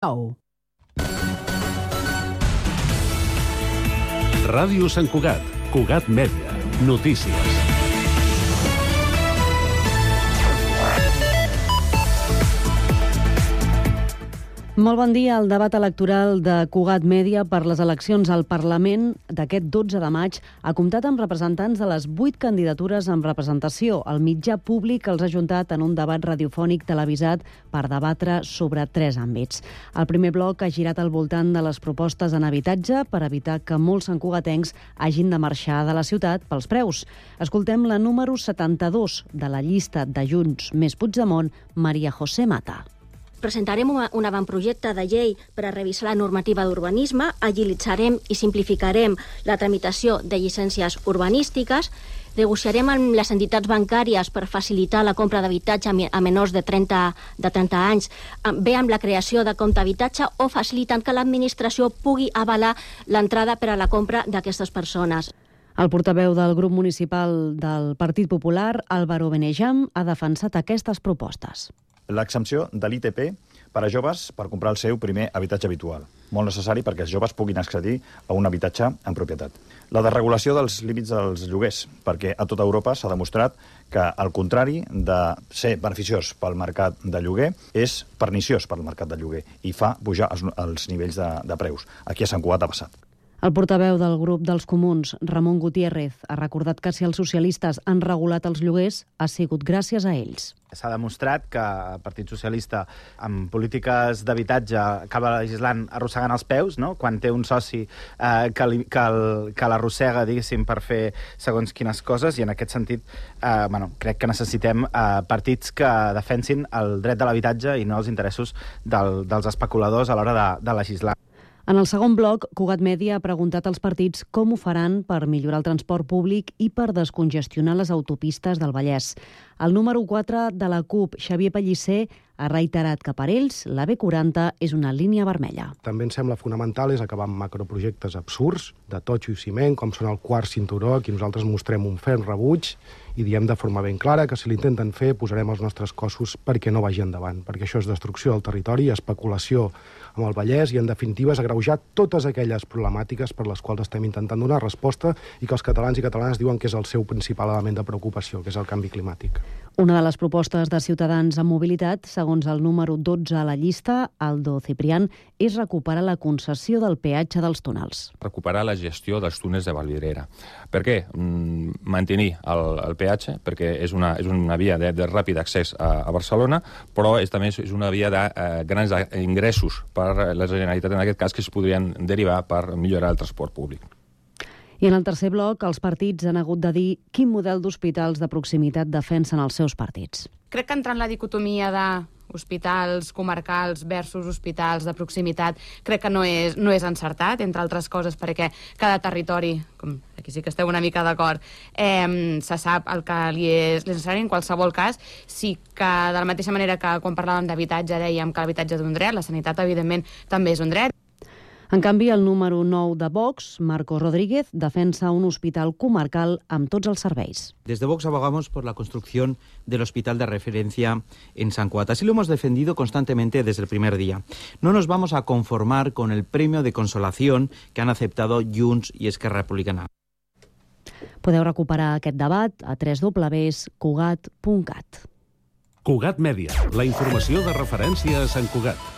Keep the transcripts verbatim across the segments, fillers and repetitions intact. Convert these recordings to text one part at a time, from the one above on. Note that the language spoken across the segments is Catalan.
nou. Ràdio Sant Cugat, Cugat Mèdia, notícies. Molt bon dia. El debat electoral de Cugat Mèdia per les eleccions al Parlament d'aquest dotze de maig ha comptat amb representants de les vuit candidatures amb representació. El mitjà públic els ha ajuntat en un debat radiofònic televisat per debatre sobre tres àmbits. El primer bloc ha girat al voltant de les propostes en habitatge per evitar que molts santcugatencs hagin de marxar de la ciutat pels preus. Escoltem la número setanta-dos de la llista de Junts més Puigdemont, Maria José Mata. Presentarem un avantprojecte de llei per a revisar la normativa d'urbanisme, agilitzarem i simplificarem la tramitació de llicències urbanístiques, negociarem amb les entitats bancàries per facilitar la compra d'habitatge a menors de trenta, de trenta anys, bé amb la creació de compte habitatge o facilitant que l'administració pugui avalar l'entrada per a la compra d'aquestes persones. El portaveu del grup municipal del Partit Popular, Álvaro Benejam, ha defensat aquestes propostes. L'exempció de l'I T P per a joves per comprar el seu primer habitatge habitual. Molt necessari perquè els joves puguin accedir a un habitatge en propietat. La desregulació dels límits dels lloguers, perquè a tota Europa s'ha demostrat que, al contrari de ser beneficiós pel mercat de lloguer, és perniciós per al mercat de lloguer i fa pujar els, els nivells de, de preus. Aquí a Sant Cugat ha passat. El portaveu del grup dels Comuns, Ramon Gutiérrez, ha recordat que si els socialistes han regulat els lloguers, ha sigut gràcies a ells. S'ha demostrat que el Partit Socialista, amb polítiques d'habitatge, acaba legislant arrossegant els peus, no? Quan té un soci eh, que, li, que, el, que l'arrossega, diguéssim, per fer segons quines coses, i en aquest sentit eh, bueno, crec que necessitem eh, partits que defensin el dret de l'habitatge i no els interessos del, dels especuladors a l'hora de, de legislar. En el segon bloc, Cugat Mèdia ha preguntat als partits com ho faran per millorar el transport públic i per descongestionar les autopistes del Vallès. El número quatre de la CUP, Xavier Pellicer, ha reiterat que per ells la B quaranta és una línia vermella. També em sembla fonamental és acabar amb macroprojectes absurds, de totxo i ciment, com són el quart cinturó, aquí nosaltres mostrem un ferm rebuig i diem de forma ben clara que si l'intenten fer posarem els nostres cossos perquè no vagi endavant, perquè això és destrucció del territori, especulació amb el Vallès i, en definitiva, és agreujar totes aquelles problemàtiques per les quals estem intentant donar resposta i que els catalans i catalanes diuen que és el seu principal element de preocupació, que és el canvi climàtic. Una de les propostes de Ciutadans en mobilitat, segons el número dotze a la llista, Aldo Ciprián, és recuperar la concessió del peatge dels túnels. Recuperar la gestió dels túnels de Vallvidrera. Per què? Mm, mantenir el, el peatge, perquè és una, és una via de, de ràpid accés a, a Barcelona, però és, també és una via de eh, grans ingressos per la Generalitat, en aquest cas, que es podrien derivar per millorar el transport públic. I en el tercer bloc, els partits han hagut de dir quin model d'hospitals de proximitat defensen els seus partits. Crec que entrar en la dicotomia de hospitals comarcals versus hospitals de proximitat crec que no és, no és encertat, entre altres coses perquè cada territori, com aquí sí que esteu una mica d'acord, eh, se sap el que li és necessari. En qualsevol cas, sí que de la mateixa manera que quan parlàvem d'habitatge dèiem que l'habitatge és un dret, la sanitat evidentment també és un dret. En canvi, el número nou de Vox, Marcos Rodríguez, defensa un hospital comarcal amb tots els serveis. Desde Vox abogamos por la construcción del hospital de referencia en San Cugat. Así lo hemos defendido constantemente desde el primer día. No nos vamos a conformar con el premio de consolación que han aceptado Junts i Esquerra Republicana. Podeu recuperar aquest debat a w w w punt cugat punt cat. Cugat Mèdia, la informació de referència a Sant Cugat.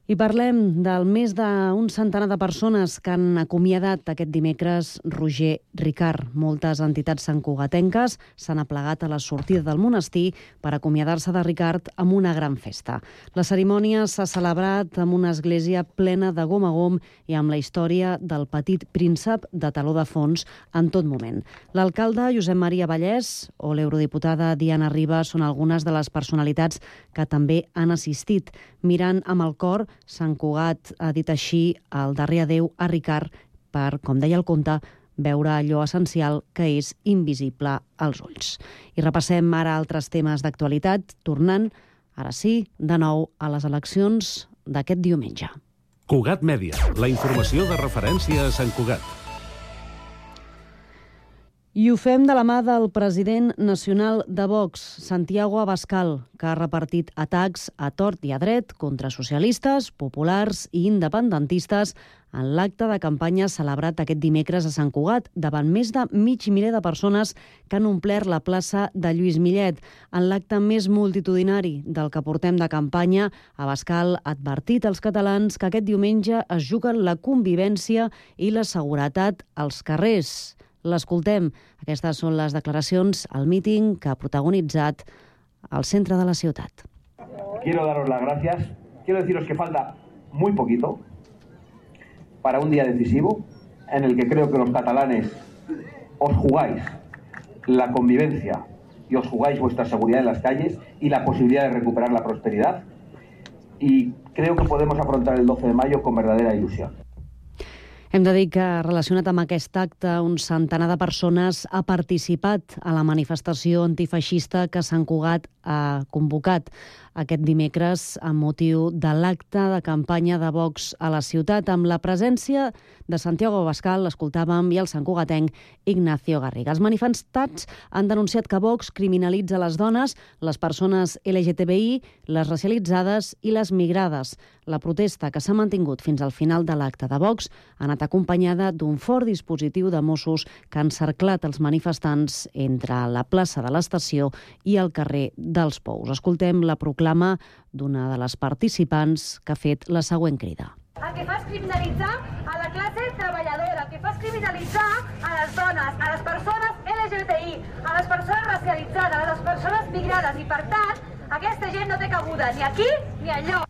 I parlem del més d'un centenar de persones que han acomiadat aquest dimecres Roger Ricart. Moltes entitats santcugatenques s'han aplegat a la sortida del monestir per acomiadar-se de Ricart amb una gran festa. La cerimònia s'ha celebrat amb una església plena de gom a gom i amb la història del petit príncep de teló de fons en tot moment. L'alcalde Josep Maria Vallès o l'eurodiputada Diana Ribas són algunes de les personalitats que també han assistit. Mirant amb el cor, Sant Cugat ha dit així el darrer adeu a Ricart per, com deia el conte, veure allò essencial que és invisible als ulls. I repassem ara altres temes d'actualitat, tornant, ara sí, de nou a les eleccions d'aquest diumenge. Cugat Mèdia, la informació de referència a Sant Cugat. I ho fem de la mà del president nacional de Vox, Santiago Abascal, que ha repartit atacs a tort i a dret contra socialistes, populars i independentistes en l'acte de campanya celebrat aquest dimecres a Sant Cugat, davant més de mig miler de persones que han omplert la plaça de Lluís Millet. En l'acte més multitudinari del que portem de campanya, Abascal ha advertit als catalans que aquest diumenge es juguen la convivència i la seguretat als carrers. L'escoltem. Aquestes són les declaracions al míting que ha protagonitzat al centre de la ciutat. Quiero daros las gracias. Quiero deciros que falta muy poquito para un día decisivo en el que creo que los catalanes os jugáis la convivencia y os jugáis vuestra seguridad en las calles y la posibilidad de recuperar la prosperidad. Y creo que podemos afrontar el doce de mayo con verdadera ilusión. Hem de dir que, relacionat amb aquest acte, un centenar de persones ha participat a la manifestació antifeixista que Sant Cugat ha convocat aquest dimecres amb motiu de l'acte de campanya de Vox a la ciutat, amb la presència de Santiago Abascal, l'escoltàvem, i el santcugatenc Ignacio Garriga. Els manifestants han denunciat que Vox criminalitza les dones, les persones L G T B I, les racialitzades i les migrades. La protesta, que s'ha mantingut fins al final de l'acte de Vox, ha anat acompanyada d'un fort dispositiu de Mossos que han cerclat els manifestants entre la plaça de l'Estació i el carrer dels Pous. Escoltem la proclama d'una de les participants que ha fet la següent crida. El que fa és criminalitzar a la classe treballadora, el que fa és criminalitzar a les dones, a les persones L G B T I, a les persones racialitzades, a les persones migrades, i per tant, aquesta gent no té cabuda ni aquí ni enlloc.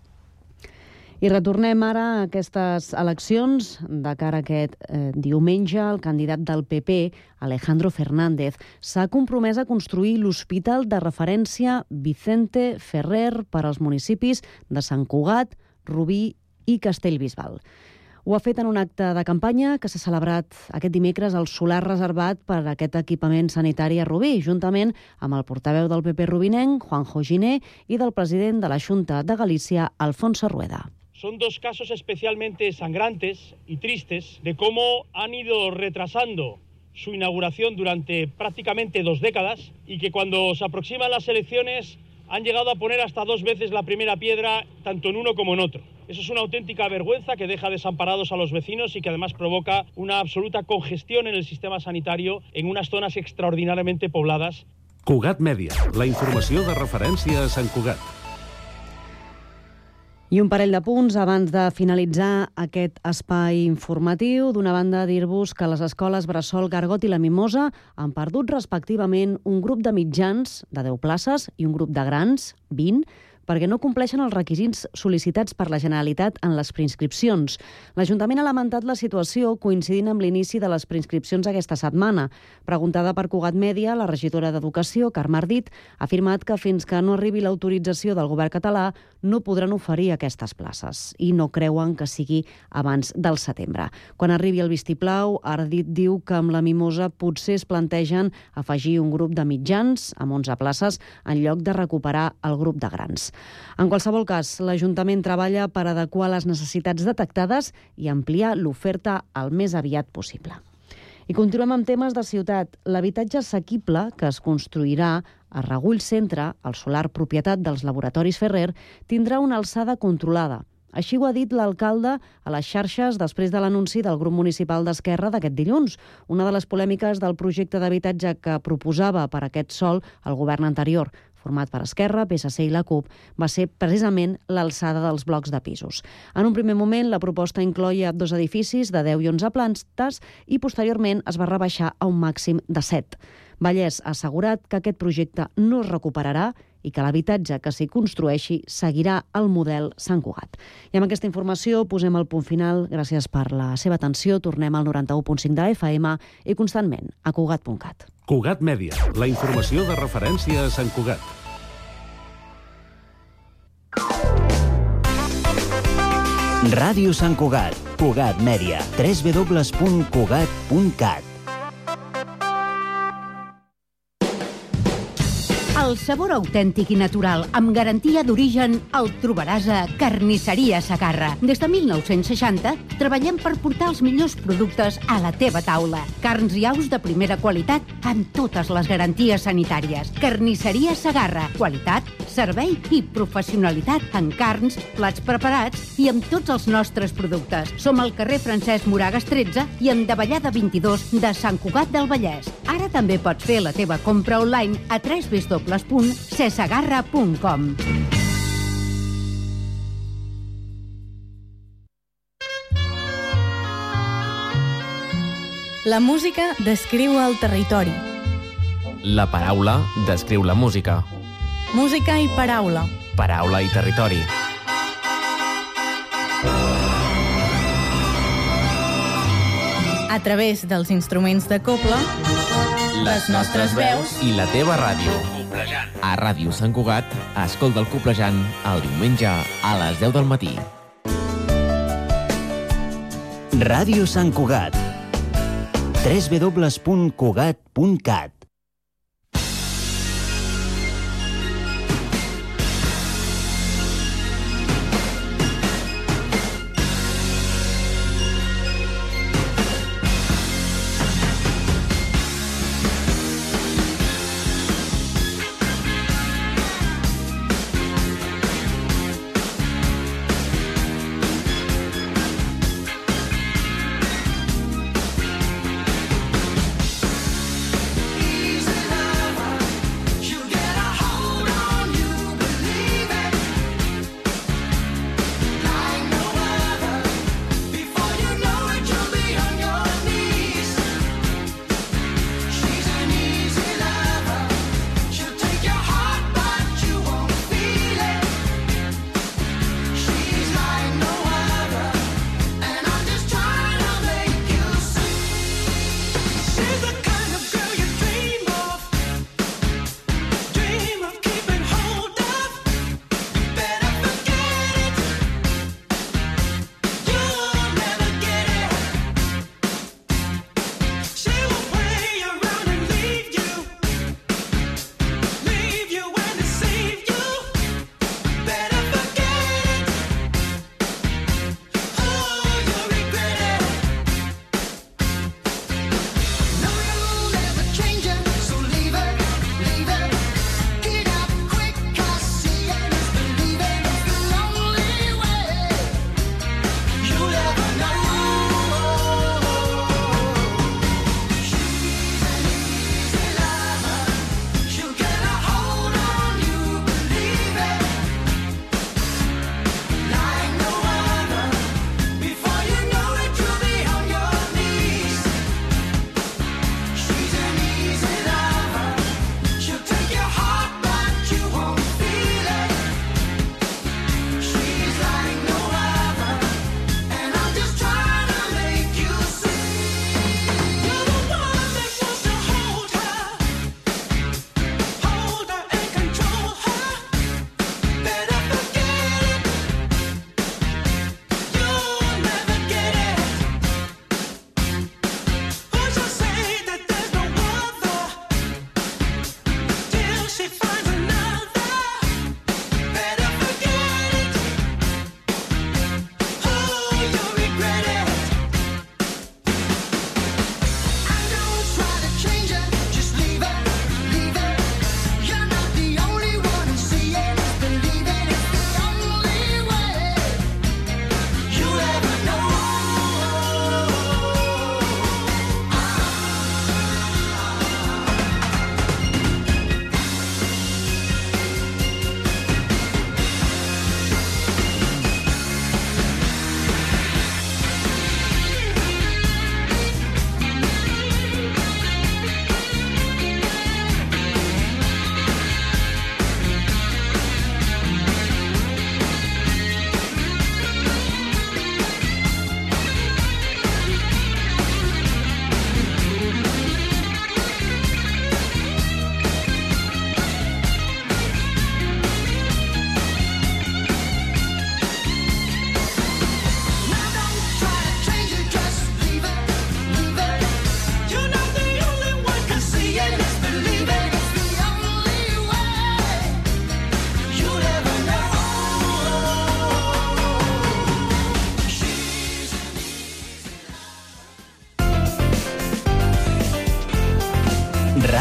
I retornem ara a aquestes eleccions. De cara a aquest eh, diumenge, el candidat del P P, Alejandro Fernández, s'ha compromès a construir l'hospital de referència Vicente Ferrer per als municipis de Sant Cugat, Rubí i Castellbisbal. Ho ha fet en un acte de campanya que s'ha celebrat aquest dimecres al solar reservat per a aquest equipament sanitari a Rubí, juntament amb el portaveu del P P rubinenc, Juanjo Giné, i del president de la Xunta de Galícia, Alfonso Rueda. Son dos casos especialmente sangrantes y tristes de cómo han ido retrasando su inauguración durante prácticamente dos décadas y que cuando se aproximan las elecciones han llegado a poner hasta dos veces la primera piedra tanto en uno como en otro. Eso es una auténtica vergüenza que deja desamparados a los vecinos y que además provoca una absoluta congestión en el sistema sanitario en unas zonas extraordinariamente pobladas. Cugat Mèdia, la informació de referència a Sant Cugat. I un parell de punts abans de finalitzar aquest espai informatiu. D'una banda, dir-vos que les escoles Bressol, Gargot i la Mimosa han perdut respectivament un grup de mitjans de deu places i un grup de grans, vint, perquè no compleixen els requisits sol·licitats per la Generalitat en les preinscripcions. L'Ajuntament ha lamentat la situació coincidint amb l'inici de les preinscripcions aquesta setmana. Preguntada per Cugat Mèdia, la regidora d'Educació, Carme Ardit, ha afirmat que fins que no arribi l'autorització del govern català no podran oferir aquestes places i no creuen que sigui abans del setembre. Quan arribi el vistiplau, Ardit diu que amb la Mimosa potser es plantegen afegir un grup de mitjans amb onze places en lloc de recuperar el grup de grans. En qualsevol cas, l'Ajuntament treballa per adequar les necessitats detectades i ampliar l'oferta el més aviat possible. I continuem amb temes de ciutat. L'habitatge assequible que es construirà a Regull Centre, el solar propietat dels laboratoris Ferrer, tindrà una alçada controlada. Així ho ha dit l'alcalde a les xarxes després de l'anunci del grup municipal d'Esquerra d'aquest dilluns. Una de les polèmiques del projecte d'habitatge que proposava per aquest sòl el govern anterior, format per Esquerra, P S C i la CUP, va ser precisament l'alçada dels blocs de pisos. En un primer moment, la proposta incloïa dos edificis de deu i onze plantes i posteriorment es va rebaixar a un màxim de set. Vallès ha assegurat que aquest projecte no es recuperarà i que l'habitatge que s'hi construeixi seguirà el model Sant Cugat. I amb aquesta informació posem el punt final. Gràcies per la seva atenció. Tornem al noranta-u punt cinc de F M i constantment a Cugat punt cat. Cugat Mèdia, la informació de referència a Sant Cugat. Ràdio Sant Cugat, Cugat Mèdia, w w w punt cugat punt cat. El sabor autèntic i natural, amb garantia d'origen, el trobaràs a Carnisseria Segarra. Des de mil nou-cents seixanta treballem per portar els millors productes a la teva taula. Carns i aus de primera qualitat amb totes les garanties sanitàries. Carnisseria Segarra. Qualitat, servei i professionalitat en carns, plats preparats i amb tots els nostres productes. Som al carrer Francesc Moragas tretze i en Davallada vint-i-dos de Sant Cugat del Vallès. Ara també pots fer la teva compra online a w w w punt cesegarra punt com. La música descriu el territori. La paraula descriu la música. Música i paraula. Paraula i territori. A través dels instruments de cobla, les nostres veus i la teva ràdio. A Ràdio Sant Cugat, escolta el Coplejant el diumenge a les deu del matí. Ràdio Sant Cugat. w w w punt cugat punt cat.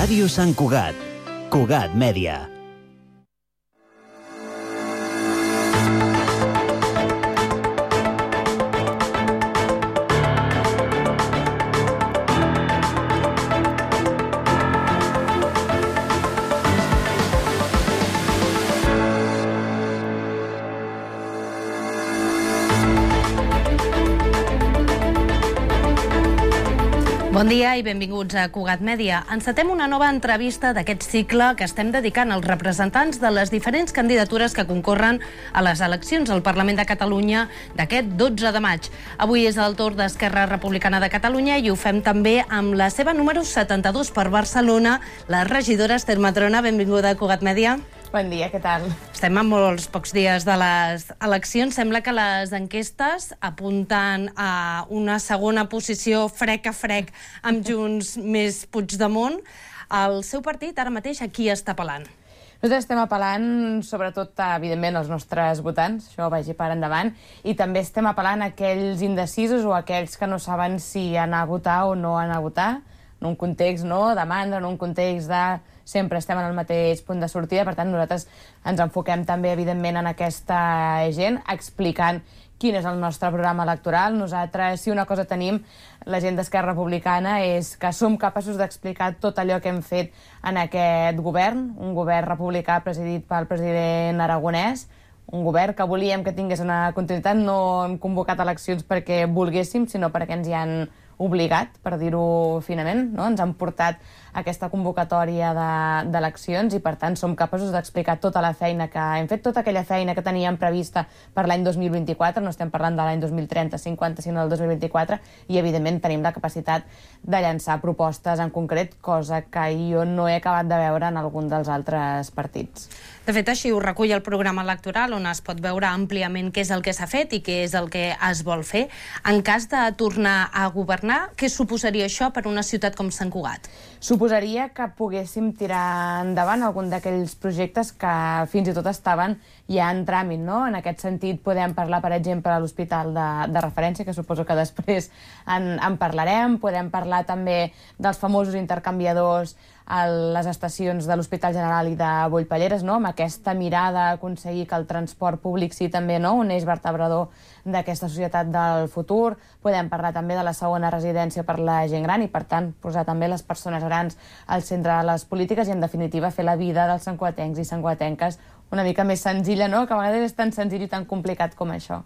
Ràdio Sant Cugat. Cugat Mèdia. Bon dia i benvinguts a Cugat Mèdia. Encetem una nova entrevista d'aquest cicle que estem dedicant als representants de les diferents candidatures que concorren a les eleccions al Parlament de Catalunya d'aquest dotze de maig. Avui és el torn d'Esquerra Republicana de Catalunya i ho fem també amb la seva número setanta-dos per Barcelona, la regidora Esther Madrona. Benvinguda a Cugat Mèdia. Bon dia, què tal? Estem a molts pocs dies de les eleccions. Sembla que les enquestes apunten a una segona posició frec a frec amb Junts més Puigdemont. El seu partit, ara mateix, a qui està apel·lant? Nosaltres estem apel·lant, sobretot, evidentment, als nostres votants, això vagi per endavant, i també estem apel·lant a aquells indecisos o aquells que no saben si anar a votar o no anar a votar, en un context no, de mandra, en un context de sempre estem en el mateix punt de sortida. Per tant, nosaltres ens enfoquem també, evidentment, en aquesta gent, explicant quin és el nostre programa electoral. Nosaltres, si una cosa tenim, la gent d'Esquerra Republicana, és que som capaços d'explicar tot allò que hem fet en aquest govern, un govern republicà presidit pel president Aragonès, un govern que volíem que tingués una continuïtat. No hem convocat eleccions perquè volguéssim, sinó perquè ens hi han obligat, per dir-ho finament, no? Ens han portat aquesta convocatòria d'eleccions i, per tant, som capaços d'explicar tota la feina que hem fet, tota aquella feina que teníem prevista per l'any dos mil vint-i-quatre, no estem parlant de l'any dos mil trenta cinquanta, sinó del dos mil vint-i-quatre, i, evidentment, tenim la capacitat de llançar propostes en concret, cosa que jo no he acabat de veure en algun dels altres partits. De fet, així ho recull el programa electoral, on es pot veure àmpliament què és el que s'ha fet i què és el que es vol fer. En cas de tornar a governar, què suposaria això per una ciutat com Sant Cugat? Suposaria que poguéssim tirar endavant algun d'aquells projectes que fins i tot estaven ja en tràmit, no? En aquest sentit, podem parlar, per exemple, de l'hospital de, de referència, que suposo que després en, en parlarem. Podem parlar també dels famosos intercanviadors a les estacions de l'Hospital General i de Bollpelleres, no? Amb aquesta mirada a aconseguir que el transport públic sigui també, no?, un eix vertebrador d'aquesta societat del futur. Podem parlar també de la segona residència per la gent gran i, per tant, posar també les persones grans al centre de les polítiques i, en definitiva, fer la vida dels santcugatencs i santcugatenques una mica més senzilla, no?, que a vegades és tan senzill i tan complicat com això.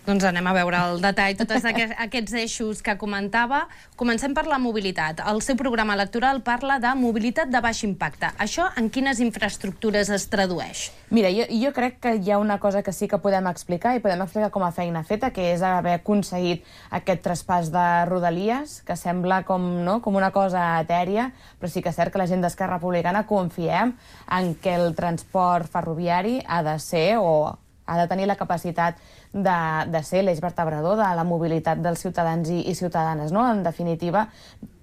Doncs anem a veure el detall, tots aquests eixos que comentava. Comencem per la mobilitat. El seu programa electoral parla de mobilitat de baix impacte. Això en quines infraestructures es tradueix? Mira, jo, jo crec que hi ha una cosa que sí que podem explicar i podem explicar com a feina feta, que és haver aconseguit aquest traspàs de Rodalies, que sembla com, no, com una cosa etèria, però sí que és cert que la gent d'Esquerra Republicana confiem en que el transport ferroviari ha de ser o ha de tenir la capacitat de, de ser l'eix vertebrador de la mobilitat dels ciutadans i, i ciutadanes, no? En definitiva,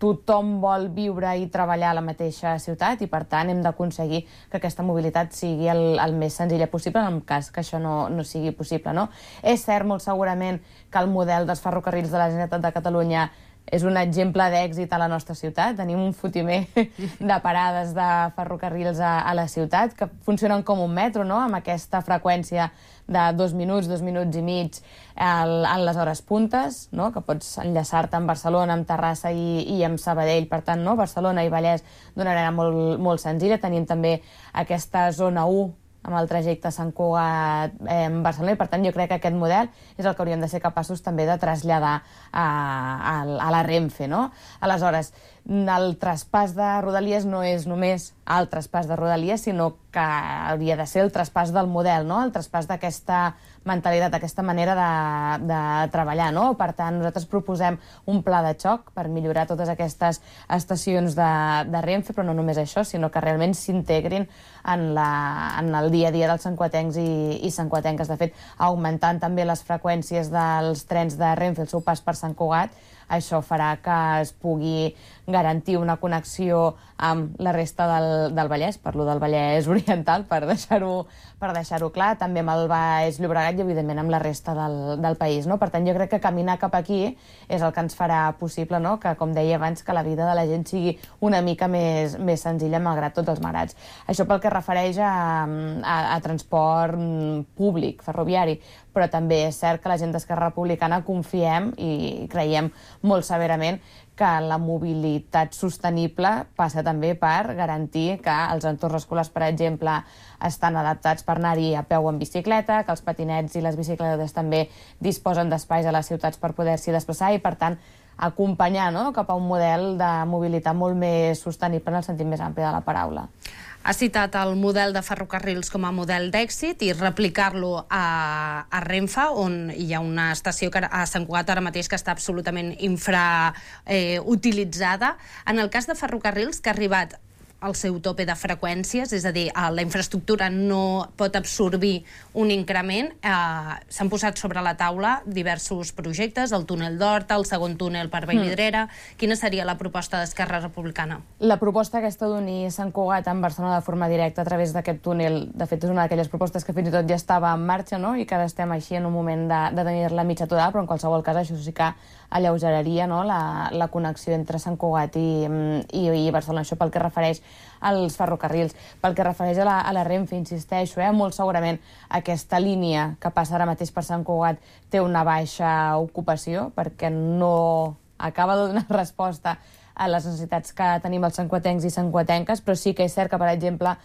tothom vol viure i treballar a la mateixa ciutat i, per tant, hem d'aconseguir que aquesta mobilitat sigui el, el més senzilla possible, en el cas que això no, no sigui possible, no? És cert, molt segurament, que el model dels ferrocarrils de la Generalitat de Catalunya és un exemple d'èxit a la nostra ciutat. Tenim un fotimer de parades de ferrocarrils a, a la ciutat que funcionen com un metro, no?, amb aquesta freqüència de dos minuts, dos minuts i mig el, en les hores puntes, no?, que pots enllaçar-te amb Barcelona, amb Terrassa i, i amb Sabadell. Per tant, no?, Barcelona i Vallès d'una manera molt, molt senzilla. Tenim també aquesta zona u amb el trajecte Sant Cugat eh, en Barcelona, i, per tant, jo crec que aquest model és el que hauríem de ser capaços també de traslladar a, a, a la Renfe, no? Aleshores, el traspàs de Rodalies no és només el traspàs de Rodalies, sinó que hauria de ser el traspàs del model, no?, el traspàs d'aquesta mentalitat, d'aquesta manera de, de treballar, no? Per tant, nosaltres proposem un pla de xoc per millorar totes aquestes estacions de, de Renfe, però no només això, sinó que realment s'integrin en, la, en el dia a dia dels santcugatencs i, i santcugatenques. De fet, augmentant també les freqüències dels trens de Renfe, el seu pas per Sant Cugat, això farà que es pugui garantir una connexió amb la resta del, del Vallès, parlo del Vallès Oriental, per deixar-ho per deixar-ho clar, també amb el Baix Llobregat i, evidentment, amb la resta del, del país. No? Per tant, jo crec que caminar cap aquí és el que ens farà possible, no? Que, com deia abans, que la vida de la gent sigui una mica més, més senzilla, malgrat tots els marats. Això pel que refereix a, a, a transport públic, ferroviari, però també és cert que la gent d'Esquerra Republicana confiem i creiem molt severament que la mobilitat sostenible passa també per garantir que els entorns escolars, per exemple, estan adaptats per anar-hi a peu o en bicicleta, que els patinets i les bicicletes també disposen d'espais a les ciutats per poder-s'hi desplaçar i, per tant, acompanyar, no?, cap a un model de mobilitat molt més sostenible en el sentit més ampli de la paraula. Ha citat el model de ferrocarrils com a model d'èxit i replicar-lo a, a Renfe, on hi ha una estació que, a Sant Cugat ara mateix que està absolutament infrautilitzada. Eh, en el cas de ferrocarrils, que ha arribat al seu tope de freqüències, és a dir, la infraestructura no pot absorbir un increment. Eh, S'han posat sobre la taula diversos projectes, el túnel d'Horta, el segon túnel per Vallvidrera. Mm. Quina seria la proposta d'Esquerra Republicana? La proposta aquesta d'unir Sant Cugat amb Barcelona de forma directa a través d'aquest túnel, de fet, és una d'aquelles propostes que fins i tot ja estava en marxa, no?, i que ara estem així en un moment de, de tenir-la mitja aturada, però en qualsevol cas això sí que alleugeraria, no?, la, la connexió entre Sant Cugat i, i, i Barcelona. Això pel que refereix als ferrocarrils. Pel que refereix a la, a la Renfe, insisteixo, eh, molt segurament aquesta línia que passa ara mateix per Sant Cugat té una baixa ocupació perquè no acaba de donar resposta a les necessitats que tenim els santcuatencs i santcuatenques, però sí que és cert que, per exemple,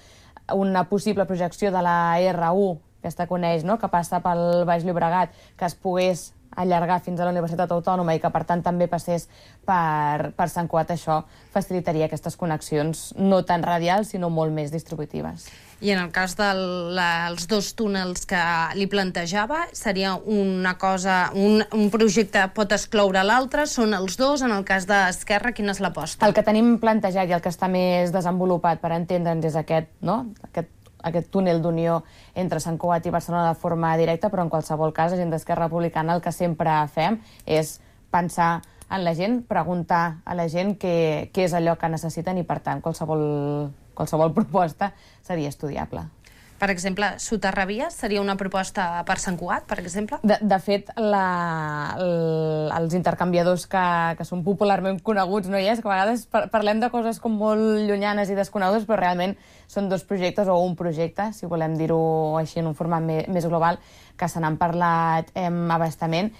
una possible projecció de la R u, aquesta coneix, no?, que passa pel Baix Llobregat, que es pogués allargar fins a la Universitat Autònoma i que, per tant, també passés per, per Sant Cugat, això facilitaria aquestes connexions no tan radials, sinó molt més distributives. I en el cas dels dos túnels que li plantejava, seria una cosa, un, un projecte pot excloure l'altre? Són els dos? En el cas d'Esquerra, quina és l'aposta? El que tenim plantejat i el que està més desenvolupat, per entendre'ns, és aquest, no?, aquest aquest túnel d'unió entre Sant Cugat i Barcelona de forma directa, però en qualsevol cas, la gent d'Esquerra Republicana el que sempre fem és pensar en la gent, preguntar a la gent què, què és allò que necessiten i, per tant, qualsevol, qualsevol proposta seria estudiable. Per exemple, soterravies seria una proposta per Sant Cugat, per exemple? De, de fet, la, el, els intercanviadors que, que són popularment coneguts, no hi és? Que a vegades par parlem de coses com molt llunyanes i desconegudes, però realment són dos projectes, o un projecte, si volem dir-ho així en un format més, més global, que se n'han parlat eh, abastament,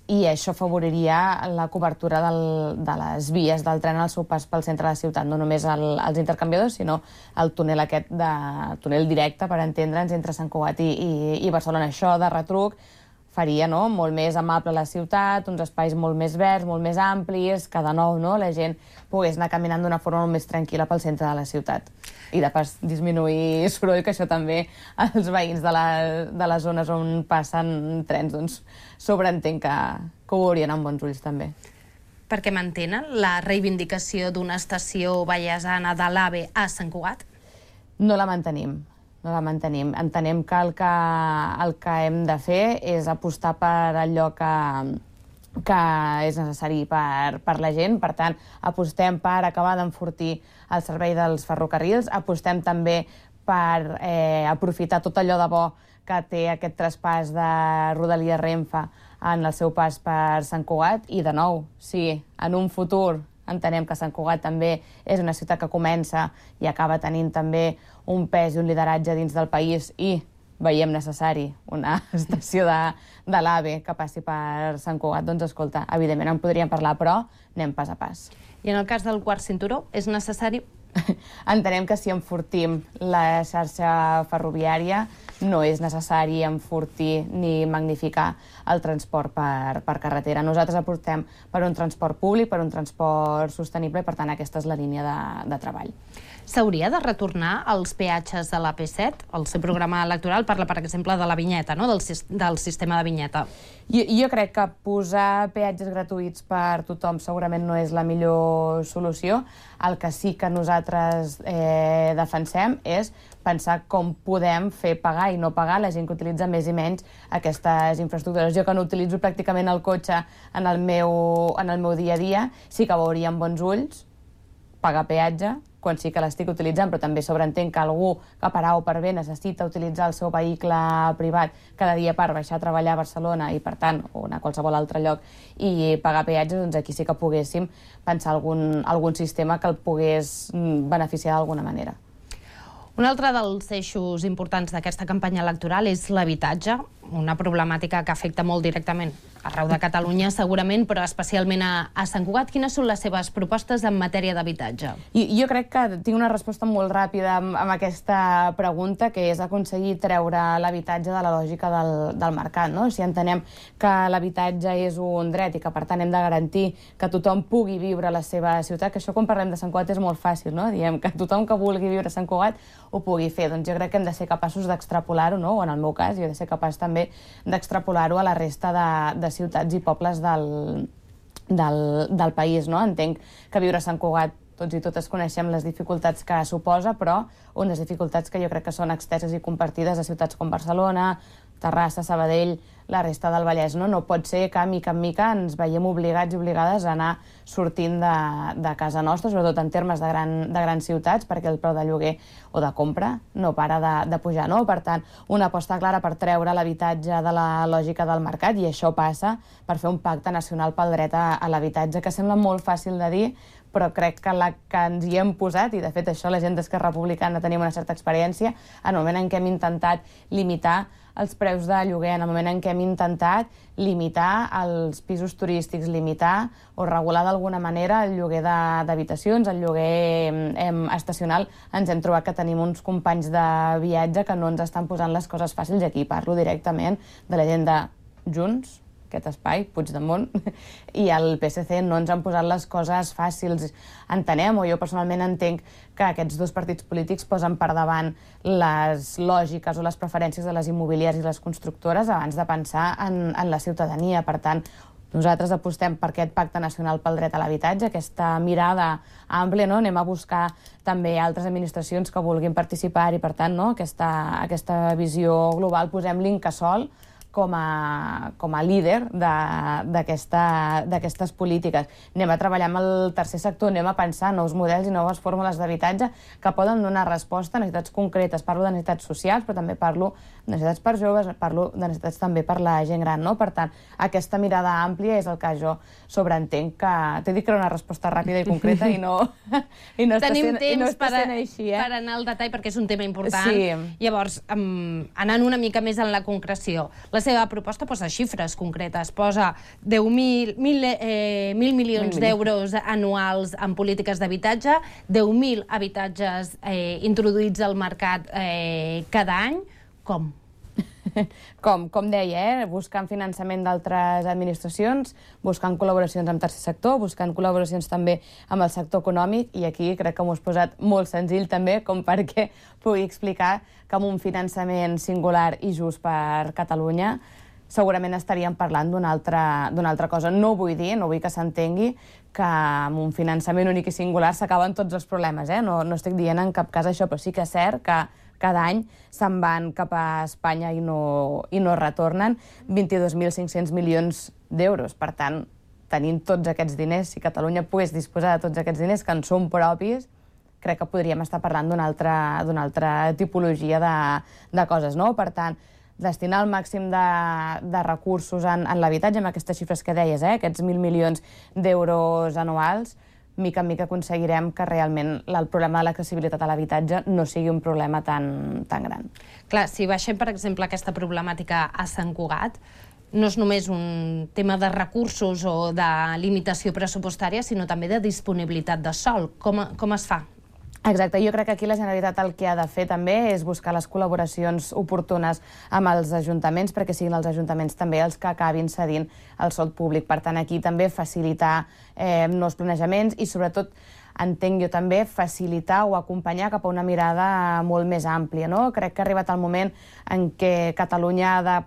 i això afavoriria la cobertura del, de les vies del tren al seu pas pel centre de la ciutat, no només el, els intercanviadors, sinó el túnel aquest de túnel directe, per entendre'ns, entre Sant Cugat i, i, i Barcelona. Això de retruc faria, no?, molt més amable la ciutat, uns espais molt més verds, molt més amplis, que de nou, no?, la gent pogués anar caminant d'una forma molt més tranquil·la pel centre de la ciutat. I de pas disminuir soroll, que això també els veïns de, la, de les zones on passen trens, doncs sobreentenc que, que ho veurien amb bons ulls també. Per què mantenen la reivindicació d'una estació vallesana de l'AVE a Sant Cugat? No la mantenim. No la mantenim. Entenem que el que, el que hem de fer és apostar per allò que, que és necessari per, per la gent. Per tant, apostem per acabar d'enfortir el servei dels ferrocarrils, apostem també per eh, aprofitar tot allò de bo que té aquest traspàs de Rodalies Renfe en el seu pas per Sant Cugat, i de nou, si en un futur entenem que Sant Cugat també és una ciutat que comença i acaba tenint també un pes i un lideratge dins del país i veiem necessari una estació de, de l'AVE que passi per Sant Cugat, doncs escolta, evidentment en podríem parlar, però anem pas a pas. I en el cas del quart cinturó, és necessari? Entenem que si enfortim la xarxa ferroviària no és necessari enfortir ni magnificar el transport per, per carretera. Nosaltres apostem per un transport públic, per un transport sostenible, i per tant aquesta és la línia de, de treball. S'hauria de retornar als peatges de l'A P set? El seu programa electoral parla, per exemple, de la vinyeta, no?, del, del sistema de vinyeta. Jo, jo crec que posar peatges gratuïts per tothom segurament no és la millor solució. El que sí que nosaltres nosaltres eh, defensem és pensar com podem fer pagar i no pagar la gent que utilitza més i menys aquestes infraestructures. Jo, que no utilitzo pràcticament el cotxe en el meu, en el meu dia a dia, sí que veuria amb bons ulls pagar peatge, quan sí que l'estic utilitzant, però també sobreentenc que algú que per A o per B necessita utilitzar el seu vehicle privat cada dia per baixar a treballar a Barcelona i, per tant, o anar a qualsevol altre lloc i pagar peatges, doncs aquí sí que poguéssim pensar algun, algun sistema que el pogués beneficiar d'alguna manera. Un altre dels eixos importants d'aquesta campanya electoral és l'habitatge, una problemàtica que afecta molt directament arreu de Catalunya, segurament, però especialment a, a Sant Cugat. Quines són les seves propostes en matèria d'habitatge? I, jo crec que tinc una resposta molt ràpida amb, amb aquesta pregunta, que és aconseguir treure l'habitatge de la lògica del, del mercat. No? Si entenem que l'habitatge és un dret i que, per tant, hem de garantir que tothom pugui viure a la seva ciutat, que això, quan parlem de Sant Cugat, és molt fàcil, no? Diem que tothom que vulgui viure a Sant Cugat ho pugui fer. Doncs jo crec que hem de ser capaços d'extrapolar-ho, no? O en el meu cas, jo he de ser capaç també d'extrapolar-ho a la resta de, de ciutats i pobles del, del, del país. No? Entenc que viure a Sant Cugat, tots i totes coneixem les dificultats que suposa, però unes dificultats que jo crec que són exteses i compartides a ciutats com Barcelona, Terrassa, Sabadell, la resta del Vallès. No, no pot ser que, mica en mica, ens veiem obligats i obligades a anar sortint de, de casa nostra, sobretot en termes de, gran, de grans ciutats, perquè el preu de lloguer o de compra no para de, de pujar. No? Per tant, una aposta clara per treure l'habitatge de la lògica del mercat, i això passa per fer un pacte nacional pel dret a, a l'habitatge, que sembla molt fàcil de dir, però crec que la que ens hi hem posat, i de fet això la gent d'Esquerra Republicana tenim una certa experiència, en el moment en què hem intentat limitar els preus de lloguer, en el moment en què hem intentat limitar els pisos turístics, limitar o regular d'alguna manera el lloguer d'habitacions, el lloguer eh, estacional, ens hem trobat que tenim uns companys de viatge que no ens estan posant les coses fàcils, i aquí parlo directament de la gent de Junts, aquest espai, Puigdemont, i el P S C no ens han posat les coses fàcils. Entenem, o jo personalment entenc, que aquests dos partits polítics posen per davant les lògiques o les preferències de les immobiliàries i les constructores abans de pensar en, en la ciutadania. Per tant, nosaltres apostem per aquest pacte nacional pel dret a l'habitatge, aquesta mirada àmplia, no? Anem a buscar també altres administracions que vulguin participar i, per tant, no? aquesta, aquesta visió global. Posem l'Incasòl com a, com a líder d'aquestes polítiques. Anem a treballar amb el tercer sector, anem a pensar nous models i noves fórmules d'habitatge que poden donar resposta a necessitats concretes. Parlo de necessitats socials, però també parlo de necessitats per joves, parlo de necessitats també per la gent gran. No? Per tant, aquesta mirada àmplia és el que jo sobreentenc que... T'he dit que era una resposta ràpida i concreta i no, i no està Tenim sent, temps i no està per, a, sent així, eh? per anar al detall, perquè és un tema important. Sí. Llavors, um, anant una mica més en la concreció, la seva proposta posa xifres concretes, posa deu mil eh, milions d'euros anuals en polítiques d'habitatge, deu mil habitatges eh, introduïts al mercat eh, cada any. Com? Com, com deia, eh? buscant finançament d'altres administracions, buscant col·laboracions amb tercer sector, buscant col·laboracions també amb el sector econòmic, i aquí crec que m'ho has posat molt senzill també, com perquè pugui explicar que amb un finançament singular i just per Catalunya segurament estaríem parlant d'una altra, d'una altra cosa. No vull dir, no vull que s'entengui que amb un finançament únic i singular s'acaben tots els problemes, eh? no, no estic dient en cap cas això, però sí que és cert que cada any se'n van cap a Espanya i no, i no retornen vint-i-dos mil cinc-cents milions d'euros. Per tant, tenint tots aquests diners, si Catalunya pogués disposar de tots aquests diners que en són propis, crec que podríem estar parlant d'una altra, d'una altra tipologia de, de coses. No? Per tant, destinar el màxim de, de recursos en, en l'habitatge, amb aquestes xifres que deies, eh? aquests mil milions d'euros anuals, mica en mica aconseguirem que realment el problema de l'accessibilitat a l'habitatge no sigui un problema tan, tan gran. Clar, si baixem, per exemple, aquesta problemàtica a Sant Cugat, no és només un tema de recursos o de limitació pressupostària, sinó també de disponibilitat de sòl. Com, com es fa? Exacte, jo crec que aquí la Generalitat el que ha de fer també és buscar les col·laboracions oportunes amb els ajuntaments, perquè siguin els ajuntaments també els que acabin cedint el sòl públic. Per tant, aquí també facilitar eh, nous planejaments i, sobretot, entenc jo també, facilitar o acompanyar cap a una mirada molt més àmplia. No? Crec que ha arribat el moment en què Catalunya ha de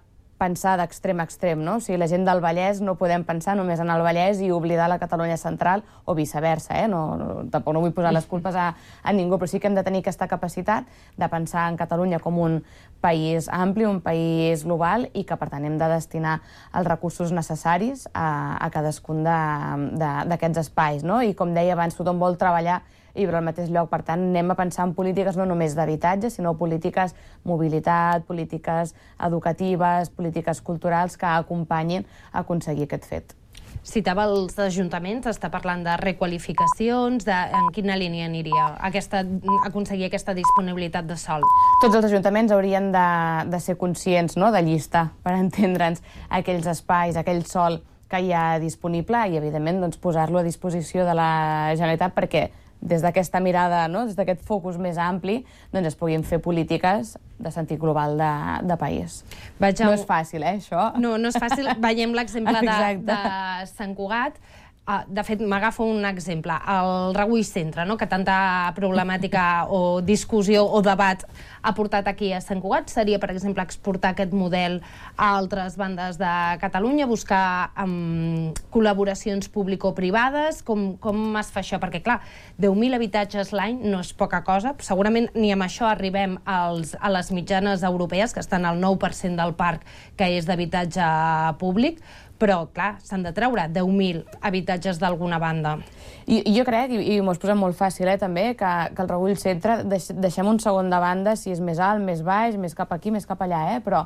pensar d'extrem a extrem, no? O sigui, la gent del Vallès no podem pensar només en el Vallès i oblidar la Catalunya central, o viceversa, eh? No, no, tampoc no vull posar les culpes a, a ningú, però sí que hem de tenir aquesta capacitat de pensar en Catalunya com un país ampli, un país global, i que, per tant, hem de destinar els recursos necessaris a, a cadascun d'aquests espais, no? I, com deia abans, tothom vol treballar i viure al mateix lloc. Per tant, anem a pensar en polítiques no només d'habitatge, sinó polítiques mobilitat, polítiques educatives, polítiques culturals que acompanyin a aconseguir aquest fet. Citava els ajuntaments, està parlant de requalificacions, de, en quina línia aniria aquesta, aconseguir aquesta disponibilitat de sòl? Tots els ajuntaments haurien de, de ser conscients, no?, de llista, per entendre'ns, aquells espais, aquell sòl que hi ha disponible i, evidentment, doncs, posar-lo a disposició de la Generalitat perquè des d'aquesta mirada, no?, des d'aquest focus més ampli, doncs es puguin fer polítiques de sentit global de, de país. Vaig a... No és fàcil, eh, això? No, no és fàcil. Veiem l'exemple de, de Sant Cugat. Uh, de fet, m'agafo un exemple, el Regull Centre, no?, que tanta problemàtica o discussió o debat ha portat aquí a Sant Cugat. Seria, per exemple, exportar aquest model a altres bandes de Catalunya, buscar um, col·laboracions público-privades. Com, com es fa això? Perquè, clar, deu mil habitatges l'any no és poca cosa. Segurament ni amb això arribem als, a les mitjanes europees, que estan al nou per cent del parc que és d'habitatge públic, però, clar, s'han de treure deu mil habitatges d'alguna banda. I, i jo crec, i, i m'ho has posat molt fàcil, eh, també, que, que el Regull Centre deix, deixem un segon de banda si és més alt, més baix, més cap aquí, més cap allà, eh, però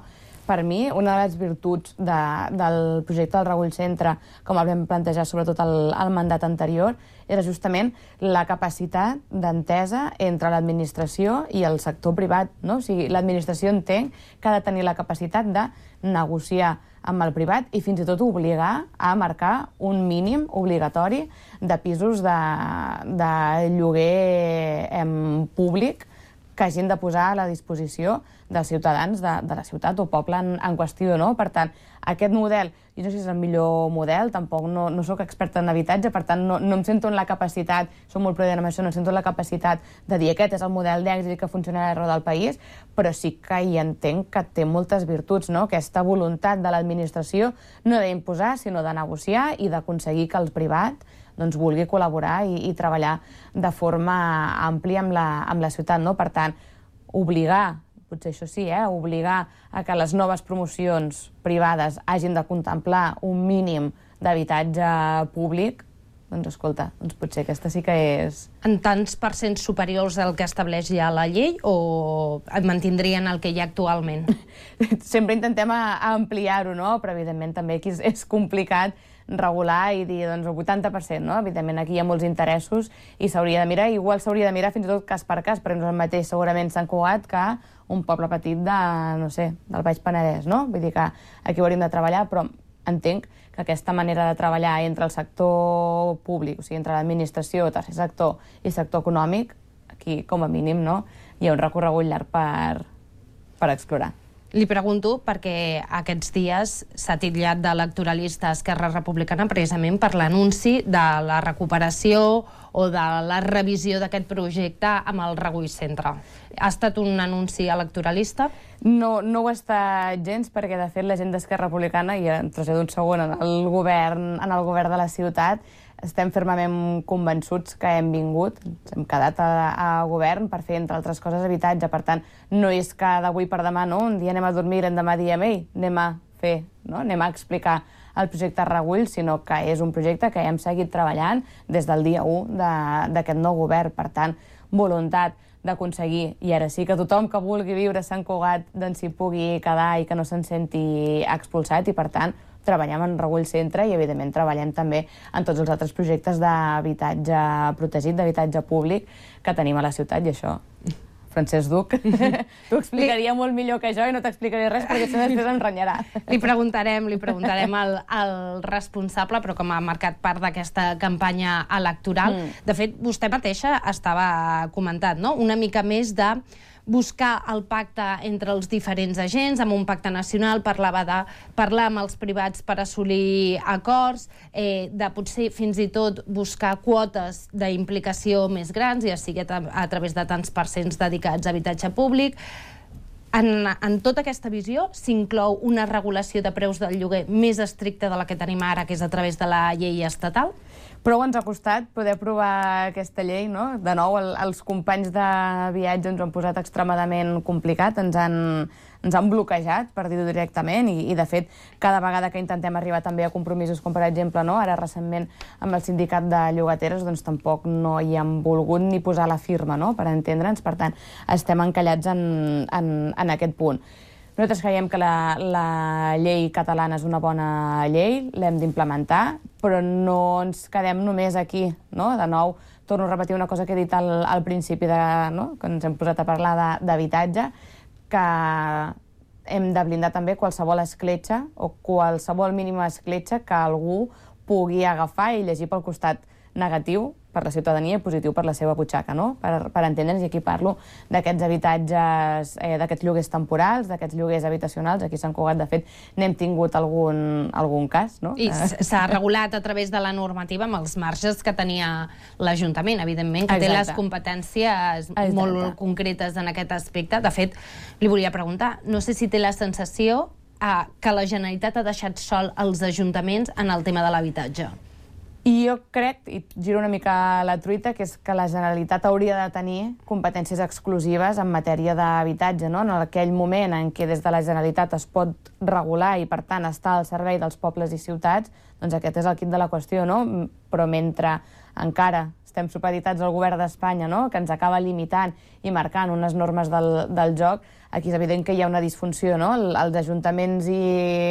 per mi, una de les virtuts de, del projecte del Regull Centre, com el vam plantejar sobretot al, al mandat anterior, era justament la capacitat d'entesa entre l'administració i el sector privat, no? O sigui, l'administració entenc que ha de tenir la capacitat de negociar amb el privat i fins i tot obligar a marcar un mínim obligatori de pisos de, de lloguer em, públic que hagin de posar a la disposició dels ciutadans de, de la ciutat o poble en, en qüestió, no? Per tant, aquest model, jo no sé si és el millor model, tampoc no, no sóc experta en habitatge, per tant, no, no em sento en la capacitat, som molt prudent amb això, no em sento en la capacitat de dir aquest és el model d'èxit que funcionarà arreu del país, però sí que hi entenc que té moltes virtuts, no? Aquesta voluntat de l'administració no d'imposar, sinó de negociar i d'aconseguir que el privat doncs, vulgui col·laborar i, i treballar de forma àmplia amb la, amb la ciutat, no? Per tant, obligar, potser això sí, eh? obligar a que les noves promocions privades hagin de contemplar un mínim d'habitatge públic, doncs escolta, doncs potser aquesta sí que és... En tants percents superiors al que estableix ja la llei o et mantindrien el que hi ha actualment? Sempre intentem ampliar-ho, no? Però evidentment també aquí és, és complicat regular i dir, doncs, el vuitanta per cent, no? Evidentment, aquí hi ha molts interessos i s'hauria de mirar, igual s'hauria de mirar fins i tot cas per cas, perquè no és el mateix segurament Sant Cugat que un poble petit de, no sé, del Baix Penedès, no? Vull dir que aquí ho hauríem de treballar, però entenc que aquesta manera de treballar entre el sector públic, o sigui, entre l'administració, tercer sector i sector econòmic, aquí, com a mínim, no? Hi ha un recorregut llarg per, per explorar. Li pregunto perquè aquests dies s'ha titllat d'electoralista Esquerra Republicana precisament per l'anunci de la recuperació o de la revisió d'aquest projecte amb el Regull Centre. Ha estat un anunci electoralista? No, no ho ha estat gens, perquè de fet la gent d'Esquerra Republicana, i en trasllado un segon en el govern, en el govern de la ciutat, estem fermament convençuts que hem vingut, ens hem quedat a, a govern per fer, entre altres coses, habitatge. Per tant, no és que d'avui per demà, no? Un dia anem a dormir i demà diem, ei, anem a fer, no? Anem a explicar el projecte Regull, sinó que és un projecte que hem seguit treballant des del dia u d'aquest nou govern. Per tant, voluntat d'aconseguir, i ara sí que tothom que vulgui viure a Sant Cugat doncs s'hi pugui quedar i que no se'n senti expulsat, i per tant treballem en Regull Centre i evidentment treballem també en tots els altres projectes d'habitatge protegit, d'habitatge públic que tenim a la ciutat, i això, Francesc Duc, t'ho explicaria molt millor que jo i no t'explicaré res perquè això després em renyarà. Li preguntarem, li preguntarem al, al responsable, però com ha marcat part d'aquesta campanya electoral. Mm. De fet, vostè mateixa estava comentant, no?, una mica més de buscar el pacte entre els diferents agents, amb un pacte nacional, parlava de parlar amb els privats per assolir acords, eh, de potser fins i tot buscar quotes d'implicació més grans, ja sigui a, a través de tants percents dedicats a habitatge públic. En, en tota aquesta visió s'inclou una regulació de preus del lloguer més estricta de la que tenim ara, que és a través de la llei estatal? Prou ens ha costat poder aprovar aquesta llei, no? De nou, el, els companys de viatge ens ho han posat extremadament complicat, ens han, ens han bloquejat, per dir-ho directament, i, i de fet, cada vegada que intentem arribar també a compromisos, com per exemple, no? Ara recentment amb el sindicat de llogateres, doncs tampoc no hi han volgut ni posar la firma, no? Per entendre'ns, per tant, estem encallats en, en, en aquest punt. Nosaltres creiem que la, la llei catalana és una bona llei, l'hem d'implementar, però no ens quedem només aquí, no? De nou, torno a repetir una cosa que he dit al, al principi, de, no? Que ens hem posat a parlar d'habitatge, que hem de blindar també qualsevol escletxa o qualsevol mínima escletxa que algú pugui agafar i llegir pel costat negatiu per la ciutadania i positiu per la seva butxaca, no? Per, per entendre'ns, i aquí parlo d'aquests habitatges, eh, d'aquests lloguers temporals, d'aquests lloguers habitacionals. Aquí a Sant Cugat, de fet, n'hem tingut algun, algun cas, no? I s'ha regulat a través de la normativa amb els marges que tenia l'Ajuntament, evidentment, que Exacte. Té les competències Exacte. Molt concretes en aquest aspecte. De fet, li volia preguntar, no sé si té la sensació eh, que la Generalitat ha deixat sol els ajuntaments en el tema de l'habitatge. I jo crec, i giro una mica la truita, que és que la Generalitat hauria de tenir competències exclusives en matèria d'habitatge, no? En aquell moment en què des de la Generalitat es pot regular i, per tant, estar al servei dels pobles i ciutats, doncs aquest és el quid de la qüestió, no? Però mentre encara estem supeditats al govern d'Espanya, no? Que ens acaba limitant i marcant unes normes del, del joc, aquí és evident que hi ha una disfunció, no? Els ajuntaments, i,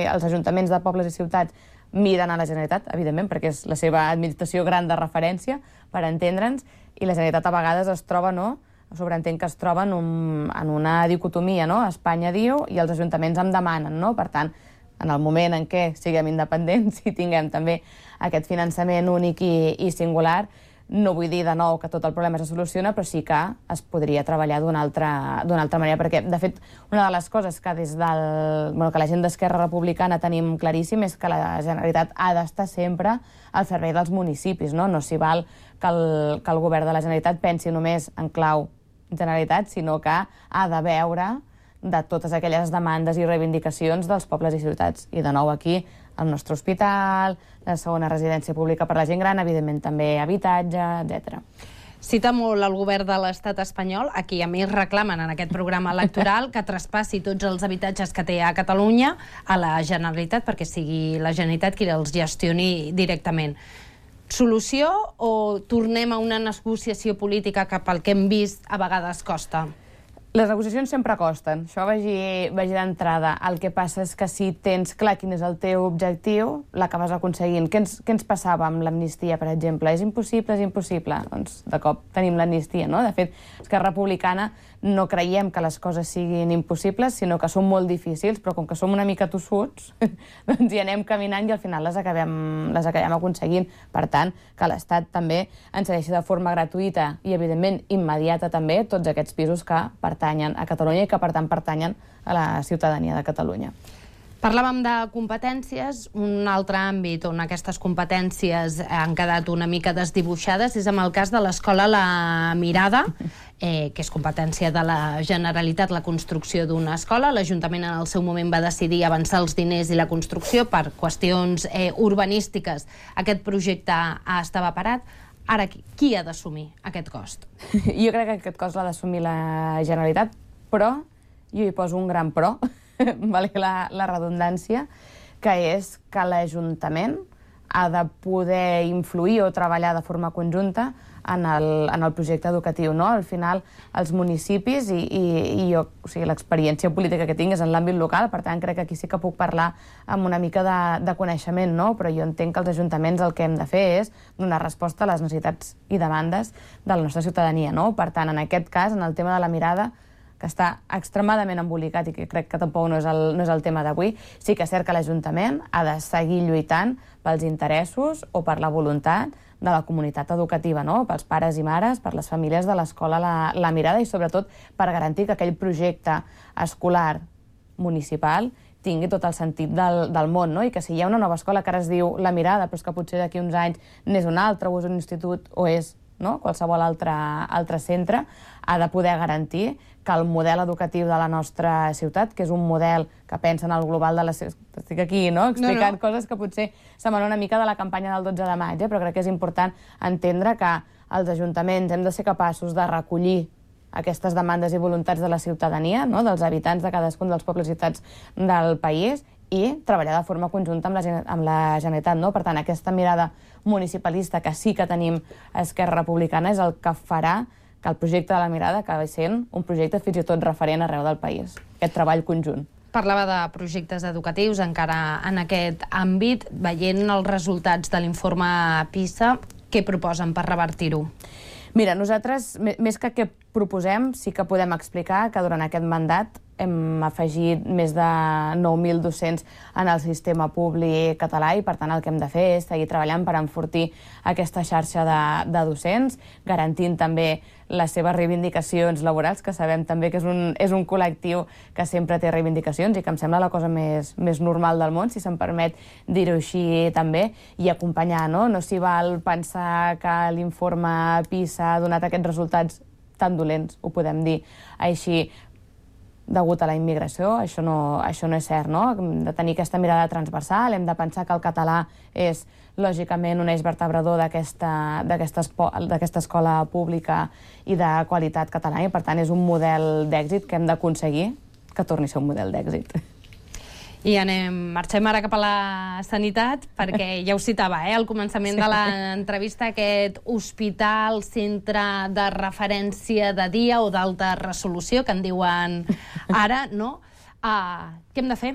els ajuntaments de pobles i ciutats miren a la Generalitat, evidentment, perquè és la seva administració gran de referència, per entendre'ns, i la Generalitat a vegades es troba, no?, sobreentén que es troba en, un, en una dicotomia, no?, Espanya diu i els ajuntaments em demanen, no? Per tant, en el moment en què siguem independents i tinguem també aquest finançament únic i, i singular, no vull dir de nou que tot el problema se soluciona, però sí que es podria treballar d'una altra, d'una altra manera, perquè, de fet, una de les coses que des del, bueno, que la gent d'Esquerra Republicana tenim claríssim és que la Generalitat ha d'estar sempre al servei dels municipis, no? No s'hi val que el, que el govern de la Generalitat pensi només en clau Generalitat, sinó que ha de veure de totes aquelles demandes i reivindicacions dels pobles i ciutats. I de nou aquí, el nostre hospital, la segona residència pública per la gent gran, evidentment també habitatge, etcètera. Cita molt el govern de l'estat espanyol, a qui a més reclamen en aquest programa electoral que traspassi tots els habitatges que té a Catalunya a la Generalitat, perquè sigui la Generalitat qui els gestioni directament. Solució o tornem a una negociació política que pel que hem vist a vegades costa? Les negociacions sempre costen, això vagi, vagi d'entrada. El que passa és que si tens clar quin és el teu objectiu, l'acabes aconseguint. Què ens, què ens passava amb l'amnistia, per exemple? És impossible, és impossible. Doncs de cop tenim l'amnistia, no? De fet, Esquerra Republicana no creiem que les coses siguin impossibles, sinó que són molt difícils, però com que som una mica tossuts, doncs hi anem caminant i al final les acabem, les acabem aconseguint. Per tant, que l'Estat també ens cedeixi de forma gratuïta i, evidentment, immediata també tots aquests pisos que pertanyen a Catalunya i que, per tant, pertanyen a la ciutadania de Catalunya. Parlàvem de competències. Un altre àmbit on aquestes competències han quedat una mica desdibuixades és amb el cas de l'escola La Mirada, eh, que és competència de la Generalitat la construcció d'una escola. L'Ajuntament en el seu moment va decidir avançar els diners i la construcció per qüestions eh, urbanístiques. Aquest projecte estava parat. Ara, qui ha d'assumir aquest cost? Jo crec que aquest cost l'ha d'assumir la Generalitat, però jo hi poso un gran però, valgui la, la redundància, que és que l'Ajuntament ha de poder influir o treballar de forma conjunta en el, en el projecte educatiu, no? Al final, els municipis, i, i, i jo, o sigui, l'experiència política que tinc és en l'àmbit local, per tant, crec que aquí sí que puc parlar amb una mica de, de coneixement, no? Però jo entenc que els ajuntaments el que hem de fer és donar resposta a les necessitats i demandes de la nostra ciutadania, no? Per tant, en aquest cas, en el tema de La Mirada, que està extremadament embolicat i que crec que tampoc no és el, no és el tema d'avui, sí que és cert que l'Ajuntament ha de seguir lluitant pels interessos o per la voluntat de la comunitat educativa, no? Pels pares i mares, per les famílies de l'escola La, La Mirada i, sobretot, per garantir que aquell projecte escolar municipal tingui tot el sentit del, del món, no? I que si hi ha una nova escola que ara es diu La Mirada, però és que potser d'aquí uns anys n'és una altra, o és un institut, o és no? Qualsevol altre, altre centre, ha de poder garantir que el model educatiu de la nostra ciutat, que és un model que pensa en el global de la ciutat... Estic aquí, no?, explicant no, no. coses que potser semblen una mica de la campanya del dotze de maig, eh? Però crec que és important entendre que els ajuntaments hem de ser capaços de recollir aquestes demandes i voluntats de la ciutadania, no?, dels habitants de cadascun dels pobles i ciutats del país, i treballar de forma conjunta amb la, amb la Generalitat, no? Per tant, aquesta mirada municipalista que sí que tenim a Esquerra Republicana és el que farà que el projecte de la Mirada acabi sent un projecte fins i tot referent arreu del país, aquest treball conjunt. Parlava de projectes educatius encara en aquest àmbit. Veient els resultats de l'informe PISA, què proposen per revertir-ho? Mira, nosaltres, més que què proposem, sí que podem explicar que durant aquest mandat hem afegit més de nou mil docents en el sistema públic català i, per tant, el que hem de fer és seguir treballant per enfortir aquesta xarxa de, de docents, garantint també les seves reivindicacions laborals, que sabem també que és un, és un col·lectiu que sempre té reivindicacions i que em sembla la cosa més, més normal del món, si se'm permet dir-ho així també, i acompanyar, no? No s'hi val pensar que l'informe PISA ha donat aquests resultats tan dolents, ho podem dir així, degut a la immigració, això no, això no és cert, no? Hem de tenir aquesta mirada transversal, hem de pensar que el català és, lògicament, un eix vertebrador d'aquesta escola pública i de qualitat catalana, i, per tant, és un model d'èxit que hem d'aconseguir que torni a ser un model d'èxit. I anem, marxem ara cap a la sanitat, perquè ja ho citava, eh, al començament sí. de l'entrevista, aquest hospital, centre de referència de dia o d'alta resolució, que en diuen ara, no? Uh, què hem de fer?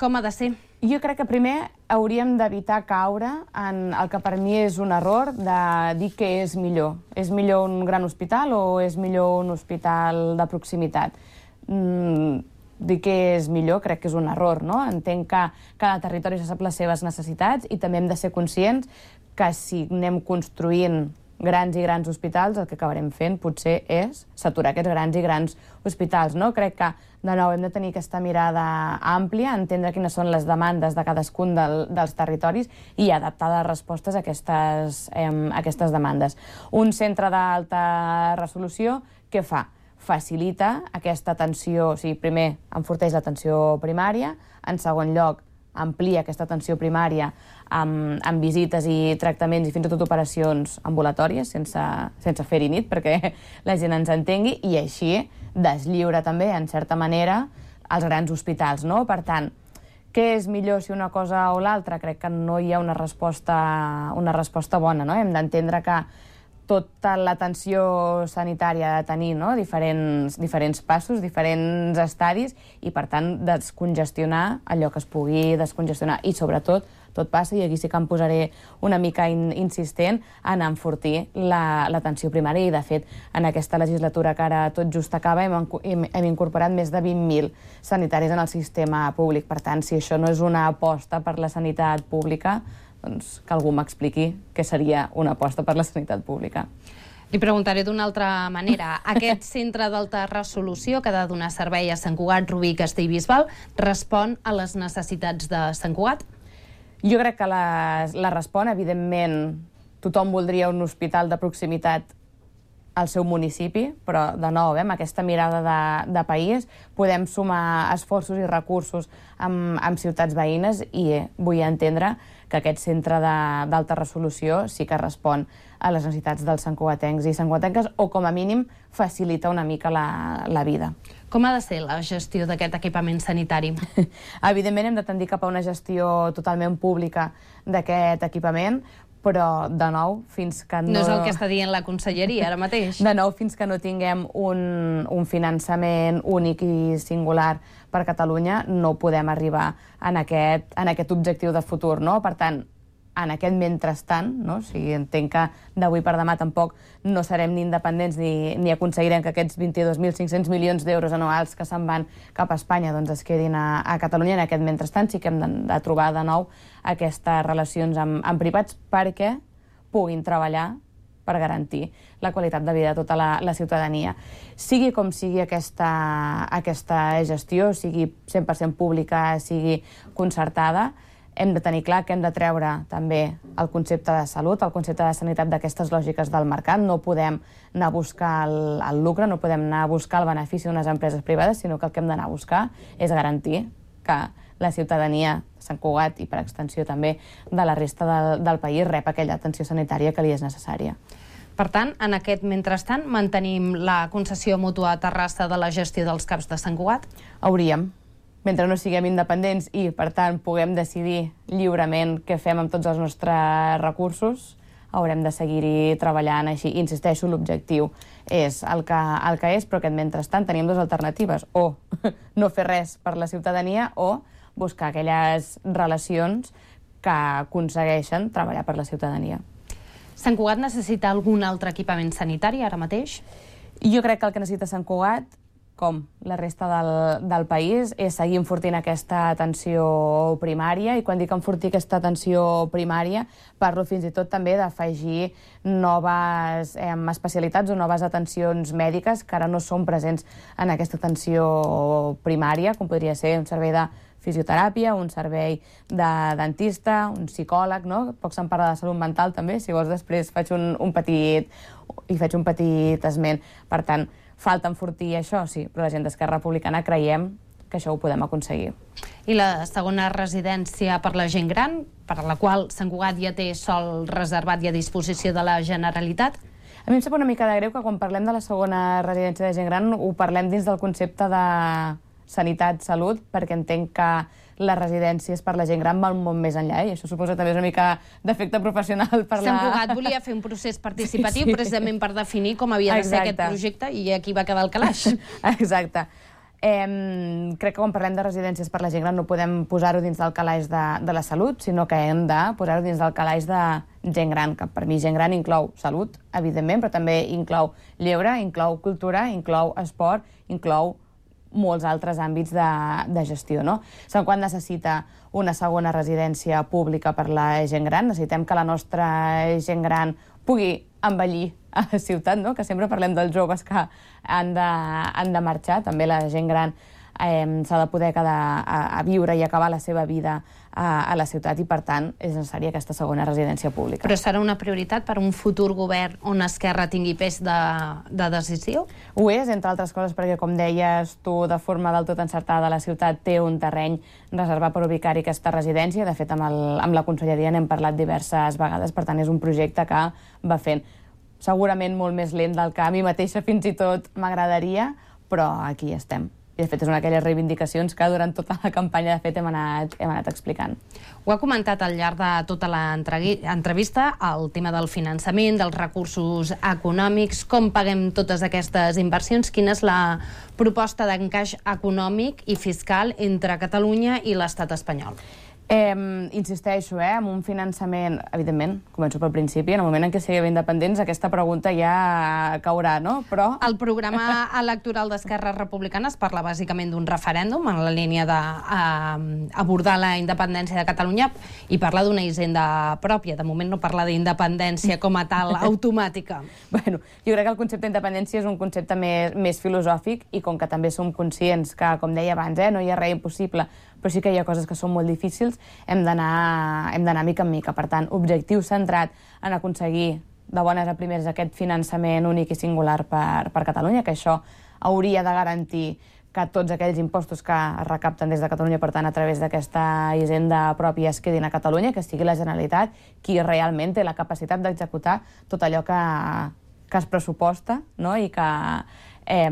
Com ha de ser? Jo crec que primer hauríem d'evitar caure en el que per mi és un error de dir què és millor. És millor un gran hospital o és millor un hospital de proximitat? Mm, dir que és millor crec que és un error, no? Entenc que cada territori ja sap les seves necessitats i també hem de ser conscients que si anem construint grans i grans hospitals, el que acabarem fent potser és saturar aquests grans i grans hospitals, no? Crec que, de nou, hem de tenir aquesta mirada àmplia, entendre quines són les demandes de cadascun del, dels territoris i adaptar les respostes a aquestes, eh, a aquestes demandes. Un centre d'alta resolució, què fa? Facilita aquesta atenció, o sigui, primer enforteix l'atenció primària, en segon lloc amplia aquesta atenció primària amb, amb visites i tractaments i fins i tot operacions ambulatòries, sense, sense fer-hi nit, perquè la gent ens entengui, i així deslliura també, en certa manera, els grans hospitals, no? Per tant, què és millor si una cosa o l'altra? Crec que no hi ha una resposta, una resposta bona, no? Hem d'entendre que tota l'atenció sanitària ha de tenir, no?, diferents, diferents passos, diferents estadis, i, per tant, descongestionar allò que es pugui descongestionar. I, sobretot, tot passa, i aquí sí que em posaré una mica in, insistent, en enfortir l'atenció la, primària, i, de fet, en aquesta legislatura que ara tot just acaba hem, hem, hem incorporat més de vint mil sanitaris en el sistema públic. Per tant, si això no és una aposta per la sanitat pública, doncs que algú m'expliqui què seria una aposta per la sanitat pública. Li preguntaré d'una altra manera. Aquest centre d'alta resolució que ha de donar servei a Sant Cugat, Rubí, Castellbisbal, respon a les necessitats de Sant Cugat? Jo crec que la, la respon, evidentment, tothom voldria un hospital de proximitat al seu municipi, però, de nou, amb aquesta mirada de, de país, podem sumar esforços i recursos amb, amb ciutats veïnes, i eh, vull entendre que aquest centre d'alta resolució sí que respon a les necessitats dels santcugatencs i santcugatenques, o com a mínim facilita una mica la, la vida. Com ha de ser la gestió d'aquest equipament sanitari? Evidentment hem de tendir cap a una gestió totalment pública d'aquest equipament, però, de nou, fins que no... No és el que està dient la conselleria ara mateix. De nou, fins que no tinguem un, un finançament únic i singular per Catalunya, no podem arribar en aquest, en aquest objectiu de futur, no? Per tant, en aquest mentrestant, no? O sigui, entenc que d'avui per demà tampoc no serem ni independents ni, ni aconseguirem que aquests vint-i-dos mil cinc-cents milions d'euros anuals que se'n van cap a Espanya doncs es quedin a, a Catalunya. En aquest mentrestant sí que hem de, de trobar de nou aquestes relacions amb, amb privats perquè puguin treballar per garantir la qualitat de vida de tota la, la ciutadania. Sigui com sigui aquesta, aquesta gestió, sigui cent per cent pública, sigui concertada, hem de tenir clar que hem de treure també el concepte de salut, el concepte de sanitat d'aquestes lògiques del mercat. No podem anar a buscar el, el lucre, no podem anar a buscar el benefici d'unes empreses privades, sinó que el que hem d'anar a buscar és garantir que la ciutadania de Sant Cugat i, per extensió també, de la resta del, del país rep aquella atenció sanitària que li és necessària. Per tant, en aquest mentrestant, mantenim la concessió mútua a Terrassa de la gestió dels CAPs de Sant Cugat? Hauríem. Mentre no siguem independents i, per tant, puguem decidir lliurement què fem amb tots els nostres recursos, haurem de seguir-hi treballant així. Insisteixo, l'objectiu és el que, el que és, però que mentrestant tenim dues alternatives. O no fer res per la ciutadania o buscar aquelles relacions que aconsegueixen treballar per la ciutadania. Sant Cugat necessita algun altre equipament sanitari ara mateix? Jo crec que el que necessita Sant Cugat, com la resta del, del país, és seguir enfortint aquesta atenció primària, i quan dic enfortir aquesta atenció primària parlo fins i tot també d'afegir noves eh, especialitats o noves atencions mèdiques que ara no són presents en aquesta atenció primària, com podria ser un servei de fisioteràpia, un servei de dentista, un psicòleg, no? Poc se'n parla de salut mental també, si vols després faig un, un petit i faig un petit esment. Per tant, falta enfortir això, sí, però la gent d'Esquerra Republicana creiem que això ho podem aconseguir. I la segona residència per la gent gran, per la qual Sant Cugat ja té sòl reservat i a disposició de la Generalitat? A mi em sap una mica de greu que quan parlem de la segona residència de gent gran ho parlem dins del concepte de sanitat, salut, perquè entenc que les residències per la gent gran van molt més enllà, i això suposa també una mica d'efecte professional per la... Sant Cugat volia fer un procés participatiu, sí, sí, precisament per definir com havia de ser aquest projecte, i aquí va quedar el calaix. Exacte. Eh, crec que quan parlem de residències per la gent gran no podem posar-ho dins del calaix de, de la salut, sinó que hem de posar-ho dins del calaix de gent gran, que per mi gent gran inclou salut, evidentment, però també inclou lleure, inclou cultura, inclou esport, inclou molts altres àmbits de, de gestió, no? Sant Cugat necessita una segona residència pública per la gent gran, necessitem que la nostra gent gran pugui envellir a la ciutat, no? Que sempre parlem dels joves que han de, han de marxar, també la gent gran eh, s'ha de poder quedar a, a viure i acabar la seva vida a, a la ciutat, i per tant és necessària aquesta segona residència pública. Però serà una prioritat per un futur govern on Esquerra tingui pes de, de decisió? Ho és, entre altres coses, perquè, com deies tu, de forma del tot encertada, la ciutat té un terreny reservat per ubicar-hi aquesta residència. De fet, amb, el, amb la conselleria n'hem parlat diverses vegades, per tant és un projecte que va fent segurament molt més lent del que a mi mateixa fins i tot m'agradaria, però aquí estem. I, de fet, és una d'aquelles reivindicacions que durant tota la campanya, de fet, hem anat, hem anat explicant. Ho ha comentat al llarg de tota l'entrevista, el tema del finançament, dels recursos econòmics, com paguem totes aquestes inversions, quina és la proposta d'encaix econòmic i fiscal entre Catalunya i l'estat espanyol? Eh, insisteixo, eh, amb un finançament, evidentment, començo pel principi, en el moment en què siguem independents aquesta pregunta ja caurà, no? Però... El programa electoral d'Esquerra Republicana es parla bàsicament d'un referèndum en la línia d'abordar la independència de Catalunya, i parla d'una hisenda pròpia. De moment no parla d'independència com a tal automàtica. Bueno, jo crec que el concepte d'independència és un concepte més, més filosòfic, i com que també som conscients que, com deia abans, eh, no hi ha res impossible, però sí que hi ha coses que són molt difícils, hem d'anar hem d'anar mica en mica. Per tant, objectiu centrat en aconseguir de bones a primeres aquest finançament únic i singular per, per Catalunya, que això hauria de garantir que tots aquells impostos que es recapten des de Catalunya, per tant, a través d'aquesta hisenda pròpia, es quedin a Catalunya, que sigui la Generalitat qui realment té la capacitat d'executar tot allò que, que es pressuposta, no? I que Eh,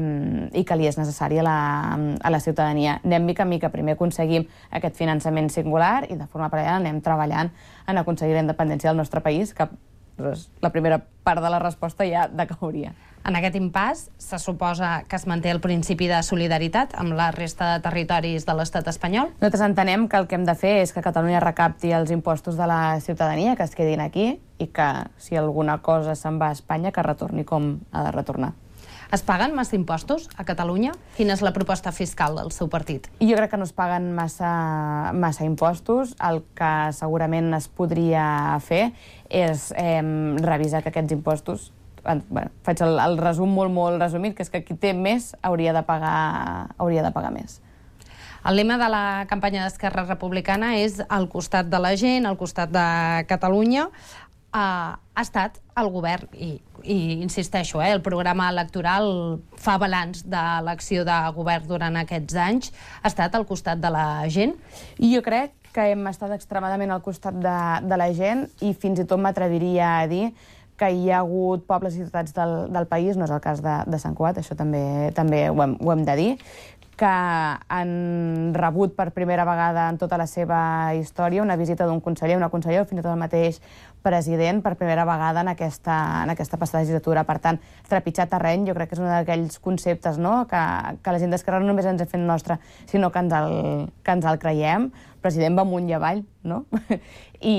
i que li és necessari a la, a la ciutadania. Anem mica en mica, primer aconseguim aquest finançament singular i de forma paral·lela anem treballant en aconseguir la independència del nostre país, que doncs, la primera part de la resposta ja decauria. En aquest impàs se suposa que es manté el principi de solidaritat amb la resta de territoris de l'estat espanyol? Nosaltres entenem que el que hem de fer és que Catalunya recapti els impostos de la ciutadania, que es quedin aquí, i que si alguna cosa se'n va a Espanya, que retorni com ha de retornar. Es paguen massa impostos a Catalunya? Quina és la proposta fiscal del seu partit? Jo crec que no es paguen massa, massa impostos. El que segurament es podria fer és eh, revisar que aquests impostos... Bueno, faig el, el resum molt, molt resumit, que és que qui té més hauria de pagar, hauria de pagar més. El lema de la campanya d'Esquerra Republicana és al costat de la gent, al costat de Catalunya. Uh, ha estat el govern, i, i insisteixo, eh, el programa electoral fa balanç de l'acció de govern durant aquests anys, ha estat al costat de la gent? I jo crec que hem estat extremadament al costat de, de la gent i fins i tot m'atreviria a dir que hi ha hagut pobles i ciutats del, del país, no és el cas de, de Sant Cugat, això també, també ho, hem, ho hem de dir, que han rebut per primera vegada en tota la seva història una visita d'un conseller, una consellera, fins i tot el mateix president, per primera vegada en aquesta, en aquesta passada legislatura. Per tant, trepitjar terreny, jo crec que és un d'aquells conceptes, no?, que, que la gent d'Esquerra no només ens ha fet nostre, sinó que ens el, que ens el creiem. El president va amunt i avall, no? I,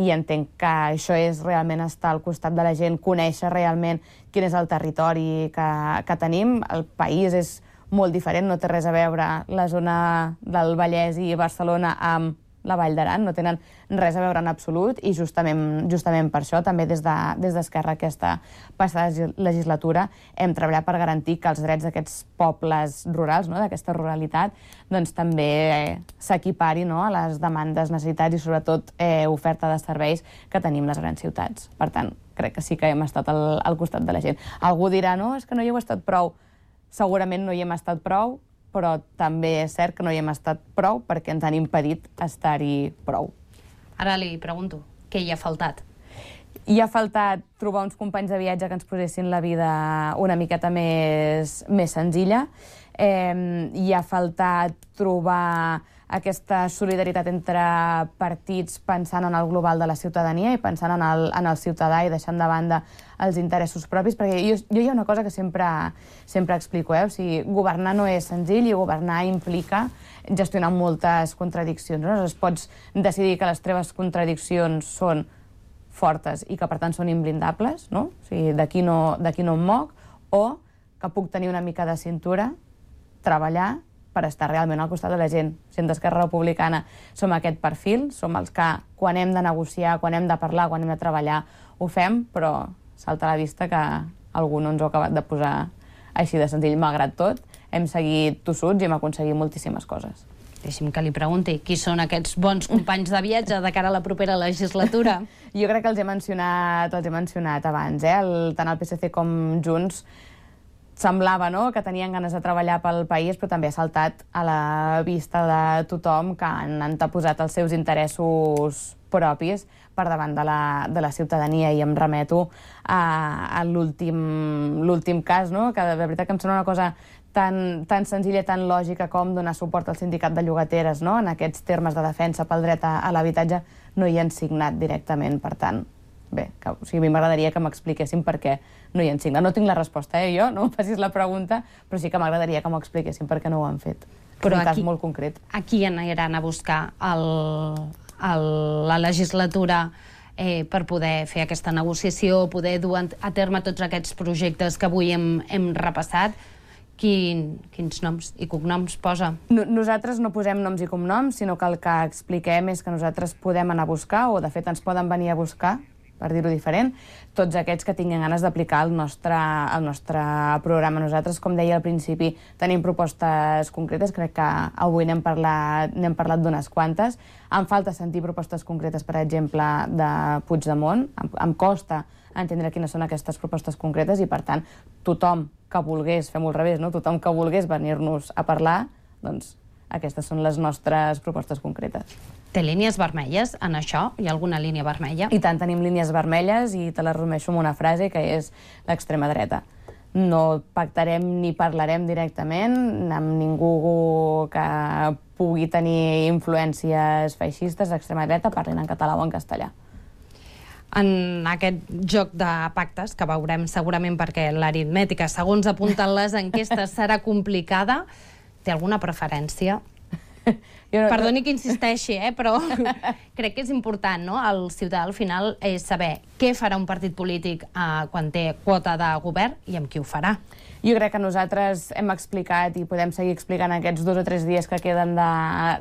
i entenc que això és realment estar al costat de la gent, conèixer realment quin és el territori que, que tenim. El país és molt diferent, no té res a veure la zona del Vallès i Barcelona amb la Vall d'Aran, no tenen res a veure en absolut, i justament, justament per això també des de, des d'Esquerra aquesta passada legislatura hem treballat per garantir que els drets d'aquests pobles rurals, no?, d'aquesta ruralitat, doncs també eh, s'equipari, no?, a les demandes, necessitats i sobretot eh, oferta de serveis que tenim les grans ciutats. Per tant, crec que sí que hem estat al, al costat de la gent. Algú dirà, no, és que no hi heu estat prou. Segurament no hi hem estat prou, però també és cert que no hi hem estat prou perquè ens han impedit estar-hi prou. Ara li pregunto, què hi ha faltat? Hi ha faltat trobar uns companys de viatge que ens posessin la vida una miqueta més, més senzilla. Eh, hi ha faltat trobar aquesta solidaritat entre partits pensant en el global de la ciutadania i pensant en el, en el ciutadà i deixant de banda els interessos propis, perquè jo, jo hi ha una cosa que sempre, sempre explico, eh? O sigui, governar no és senzill i governar implica gestionar moltes contradiccions. No? Aleshores, pots decidir que les teves contradiccions són fortes i que per tant són imblindables, no? O sigui, d'aquí no, d'aquí no em moc, o que puc tenir una mica de cintura, treballar per estar realment al costat de la gent. Si en d'Esquerra Republicana som aquest perfil, som els que quan hem de negociar, quan hem de parlar, quan hem de treballar, ho fem, però salta a la vista que algú no ens ho ha acabat de posar així de senzill. Malgrat tot, hem seguit tossuts i hem aconseguit moltíssimes coses. Deixi'm que li pregunti, qui són aquests bons companys de viatge de cara a la propera legislatura? Jo crec que els he mencionat, els he mencionat abans, eh? El, tant el P S C com Junts semblava, no?, que tenien ganes de treballar pel país, però també ha saltat a la vista de tothom que han anteposat els seus interessos propis per davant de la, de la ciutadania, i em remeto a, a l'últim cas, no?, que de veritat que em sembla una cosa tan, tan senzilla i tan lògica com donar suport al sindicat de llogateres, no?, en aquests termes de defensa pel dret a, a l'habitatge no hi han signat directament. Per tant, bé, que, o sigui, a mi m'agradaria que m'expliquessin per què no hi han signat. No tinc la resposta, eh, jo, no em facis la pregunta, però sí que m'agradaria que m'ho expliquessin per què no ho han fet. Però és un aquí, cas molt concret. A qui aniran a buscar el, el, la legislatura eh, per poder fer aquesta negociació, poder dur a terme tots aquests projectes que avui hem, hem repassat? Quin, quins noms i cognoms posa? No, nosaltres no posem noms i cognoms, sinó que el que expliquem és que nosaltres podem anar a buscar, o de fet ens poden venir a buscar, per dir-ho diferent, tots aquests que tinguin ganes d'aplicar el nostre, el nostre programa. Nosaltres, com deia al principi, tenim propostes concretes, crec que avui n'hem parlat, n'hem parlat d'unes quantes. Em falta sentir propostes concretes, per exemple, de Puigdemont. Em, em costa entendre quines són aquestes propostes concretes i, per tant, tothom que volgués, fem-ho al revés, no? Tothom que volgués venir-nos a parlar, doncs aquestes són les nostres propostes concretes. Té línies vermelles en això? Hi ha alguna línia vermella? I tant, tenim línies vermelles, i te les resumeixo amb una frase, que és l'extrema dreta. No pactarem ni parlarem directament amb ningú que pugui tenir influències feixistes d'extrema dreta, parlin en català o en castellà. En aquest joc de pactes, que veurem segurament perquè l'aritmètica, segons apunten les enquestes, serà complicada, té alguna preferència? Jo no, Perdoni que insisteixi, eh, però crec que és important, no? El ciutadà al final és saber què farà un partit polític eh, quan té quota de govern i amb qui ho farà. Jo crec que nosaltres hem explicat i podem seguir explicant aquests dos o tres dies que queden de,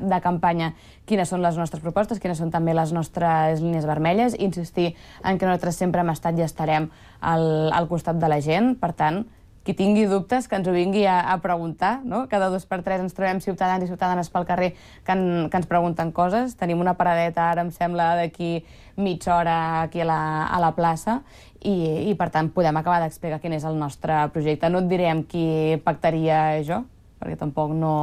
de campanya quines són les nostres propostes, quines són també les nostres línies vermelles, insistir en que nosaltres sempre hem estat i estarem al, al costat de la gent. Per tant, qui tingui dubtes que ens ho vingui a, a preguntar, no? Cada dos per tres ens trobem ciutadans i ciutadanes pel carrer que, en, que ens pregunten coses. Tenim una paradeta, ara em sembla, d'aquí mitja hora aquí a la, a la plaça i, i per tant podem acabar d'explicar quin és el nostre projecte. No et diré amb qui pactaria jo, perquè tampoc no...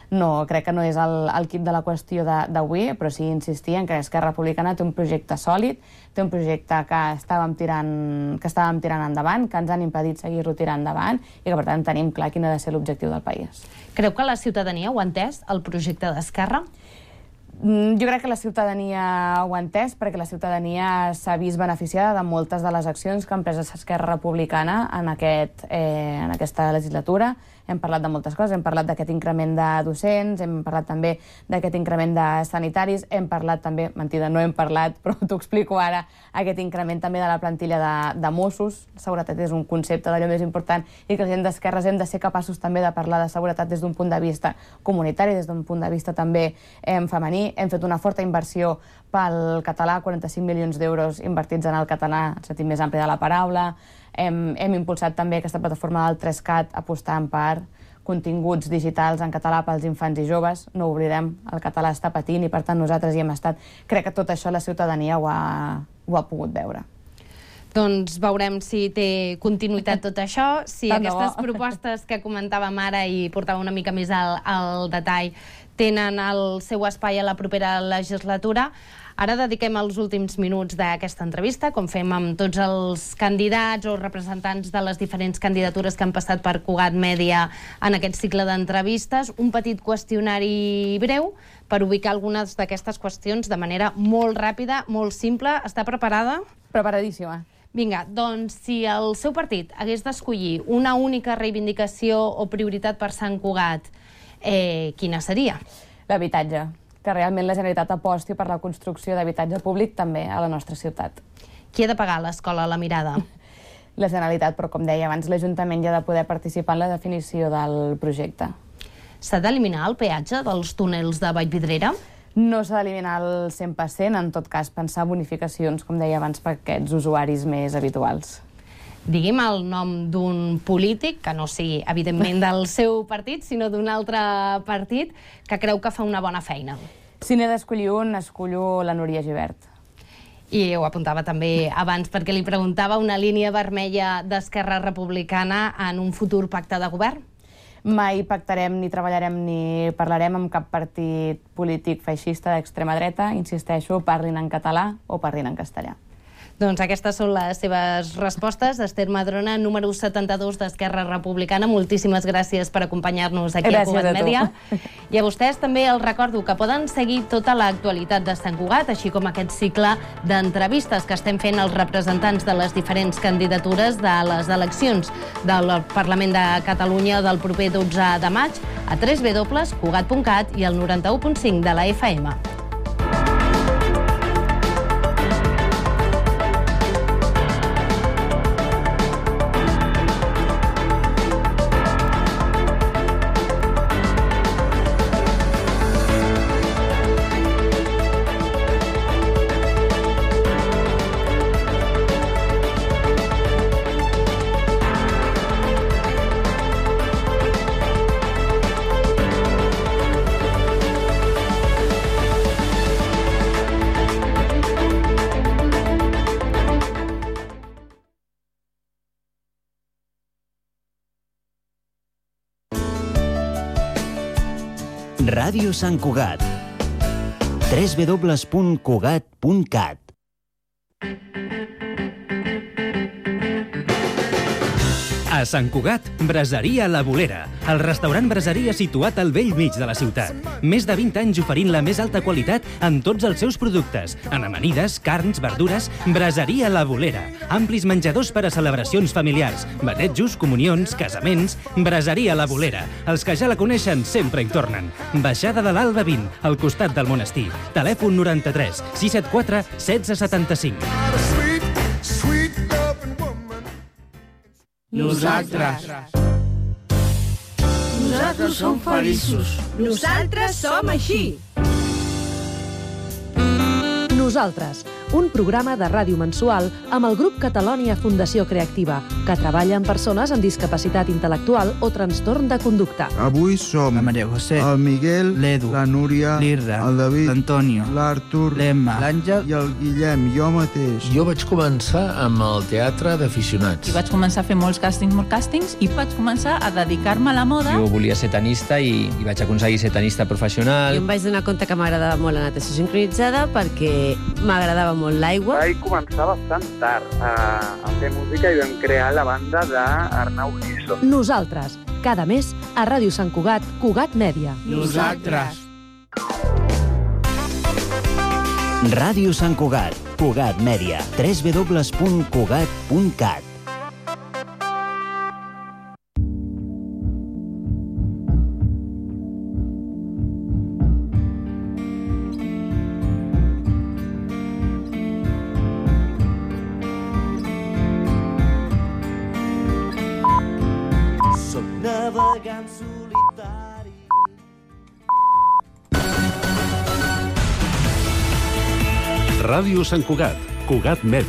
No, crec que no és el, el quid de la qüestió d'avui, però sí insistir en que Esquerra Republicana té un projecte sòlid, té un projecte que estàvem tirant, que estàvem tirant endavant, que ens han impedit seguir-lo tirant endavant i que, per tant, tenim clar quin ha de ser l'objectiu del país. Creu que la ciutadania ho ha entès, el projecte d'Esquerra? Jo crec que la ciutadania ho ha entès perquè la ciutadania s'ha vist beneficiada de moltes de les accions que ha emprès Esquerra Republicana en, aquest, eh, en aquesta legislatura. Hem parlat de moltes coses, hem parlat d'aquest increment de docents, hem parlat també d'aquest increment de sanitaris, hem parlat també, mentida, no hem parlat, però t'ho explico ara, aquest increment també de la plantilla de, de Mossos. La seguretat és un concepte d'allò més important i que la gent d'esquerres hem de ser capaços també de parlar de seguretat des d'un punt de vista comunitari, des d'un punt de vista també eh, femení. Hem fet una forta inversió pel català, quaranta-cinc milions d'euros invertits en el català, en el sentit més ampli de la paraula. Hem, hem impulsat també aquesta plataforma del tres cat apostant per continguts digitals en català pels infants i joves. No ho oblidem, el català està patint i per tant nosaltres hi hem estat. Crec que tot això la ciutadania ho ha, ho ha pogut veure. Doncs veurem si té continuïtat tot això, si aquestes propostes que comentàvem ara i portava una mica més al, al detall tenen el seu espai a la propera legislatura. Ara dediquem els últims minuts d'aquesta entrevista, com fem amb tots els candidats o representants de les diferents candidatures que han passat per Cugat Mèdia en aquest cicle d'entrevistes, un petit qüestionari breu per ubicar algunes d'aquestes qüestions de manera molt ràpida, molt simple. Està preparada? Preparadíssima. Vinga, doncs si el seu partit hagués d'escollir una única reivindicació o prioritat per Sant Cugat, eh, quina seria? L'habitatge. Que realment la Generalitat aposti per la construcció d'habitatge públic també a la nostra ciutat. Qui ha de pagar l'escola La Mirada? La Generalitat, però com deia abans, l'Ajuntament ja ha de poder participar en la definició del projecte. S'ha d'eliminar el peatge dels túnels de Vallvidrera? No s'ha d'eliminar el cent per cent, en tot cas pensar bonificacions, com deia abans, per aquests usuaris més habituals. Digui'm el nom d'un polític, que no sigui, evidentment, del seu partit, sinó d'un altre partit, que creu que fa una bona feina. Si n'he d'escollir un, escollo la Núria Gibert. I ho apuntava també abans, perquè li preguntava una línia vermella d'Esquerra Republicana en un futur pacte de govern? Mai pactarem, ni treballarem, ni parlarem amb cap partit polític feixista d'extrema dreta. Insisteixo, parlin en català o parlin en castellà. Doncs aquestes són les seves respostes. Esther Madrona, número setanta-dos d'Esquerra Republicana, moltíssimes gràcies per acompanyar-nos aquí a Cugat Mèdia. I a vostès també els recordo que poden seguir tota l'actualitat de Sant Cugat, així com aquest cicle d'entrevistes que estem fent als representants de les diferents candidatures de les eleccions del Parlament de Catalunya del proper dotze de maig a w w w punt cugat punt cat i el noranta-u punt cinc de la F M. Ràdio Sant Cugat. w w w punt cugat punt cat. A Sant Cugat, Braseria La Bolera, el restaurant braseria situat al vell mig de la ciutat. Més de vint anys oferint la més alta qualitat en tots els seus productes. En amanides, carns, verdures, Braseria La Bolera. Amplis menjadors per a celebracions familiars, batejos, comunions, casaments. Braseria La Bolera. Els que ja la coneixen sempre hi tornen. Baixada de l'Alba vint, al costat del monestir. Telèfon noranta-tres sis set quatre setze setanta-cinc. Nosaltres. Nosaltres som feliços. Nosaltres som així. Nosaltres, un programa de ràdio mensual amb el grup Catalònia Fundació Creativa, que treballa amb persones amb discapacitat intel·lectual o trastorn de conducta. Avui som la Maria José, el Miguel, l'Edu, la Núria, l'Irra, el David, l'Antonio, l'Artur, l'Emma, l'Àngel i el Guillem, jo mateix. Jo vaig començar amb el teatre d'aficionats. I vaig començar a fer molts càstings, molts càstings, i vaig començar a dedicar-me a la moda. Jo volia ser tenista i, i vaig aconseguir ser tenista professional. Jo em vaig donar compte que m'agradava molt la natació sincronitzada perquè m'agradava molt l'aigua. Vaig començar bastant tard a, a fer música i vam crear la banda d'Arnau Giso. Nosaltres, cada mes, a Ràdio Sant Cugat, Cugat Mèdia. Nosaltres. Ràdio Sant Cugat, Cugat Mèdia, w w w punt cugat punt cat. Ràdio Sant Cugat, Cugat Mèdia.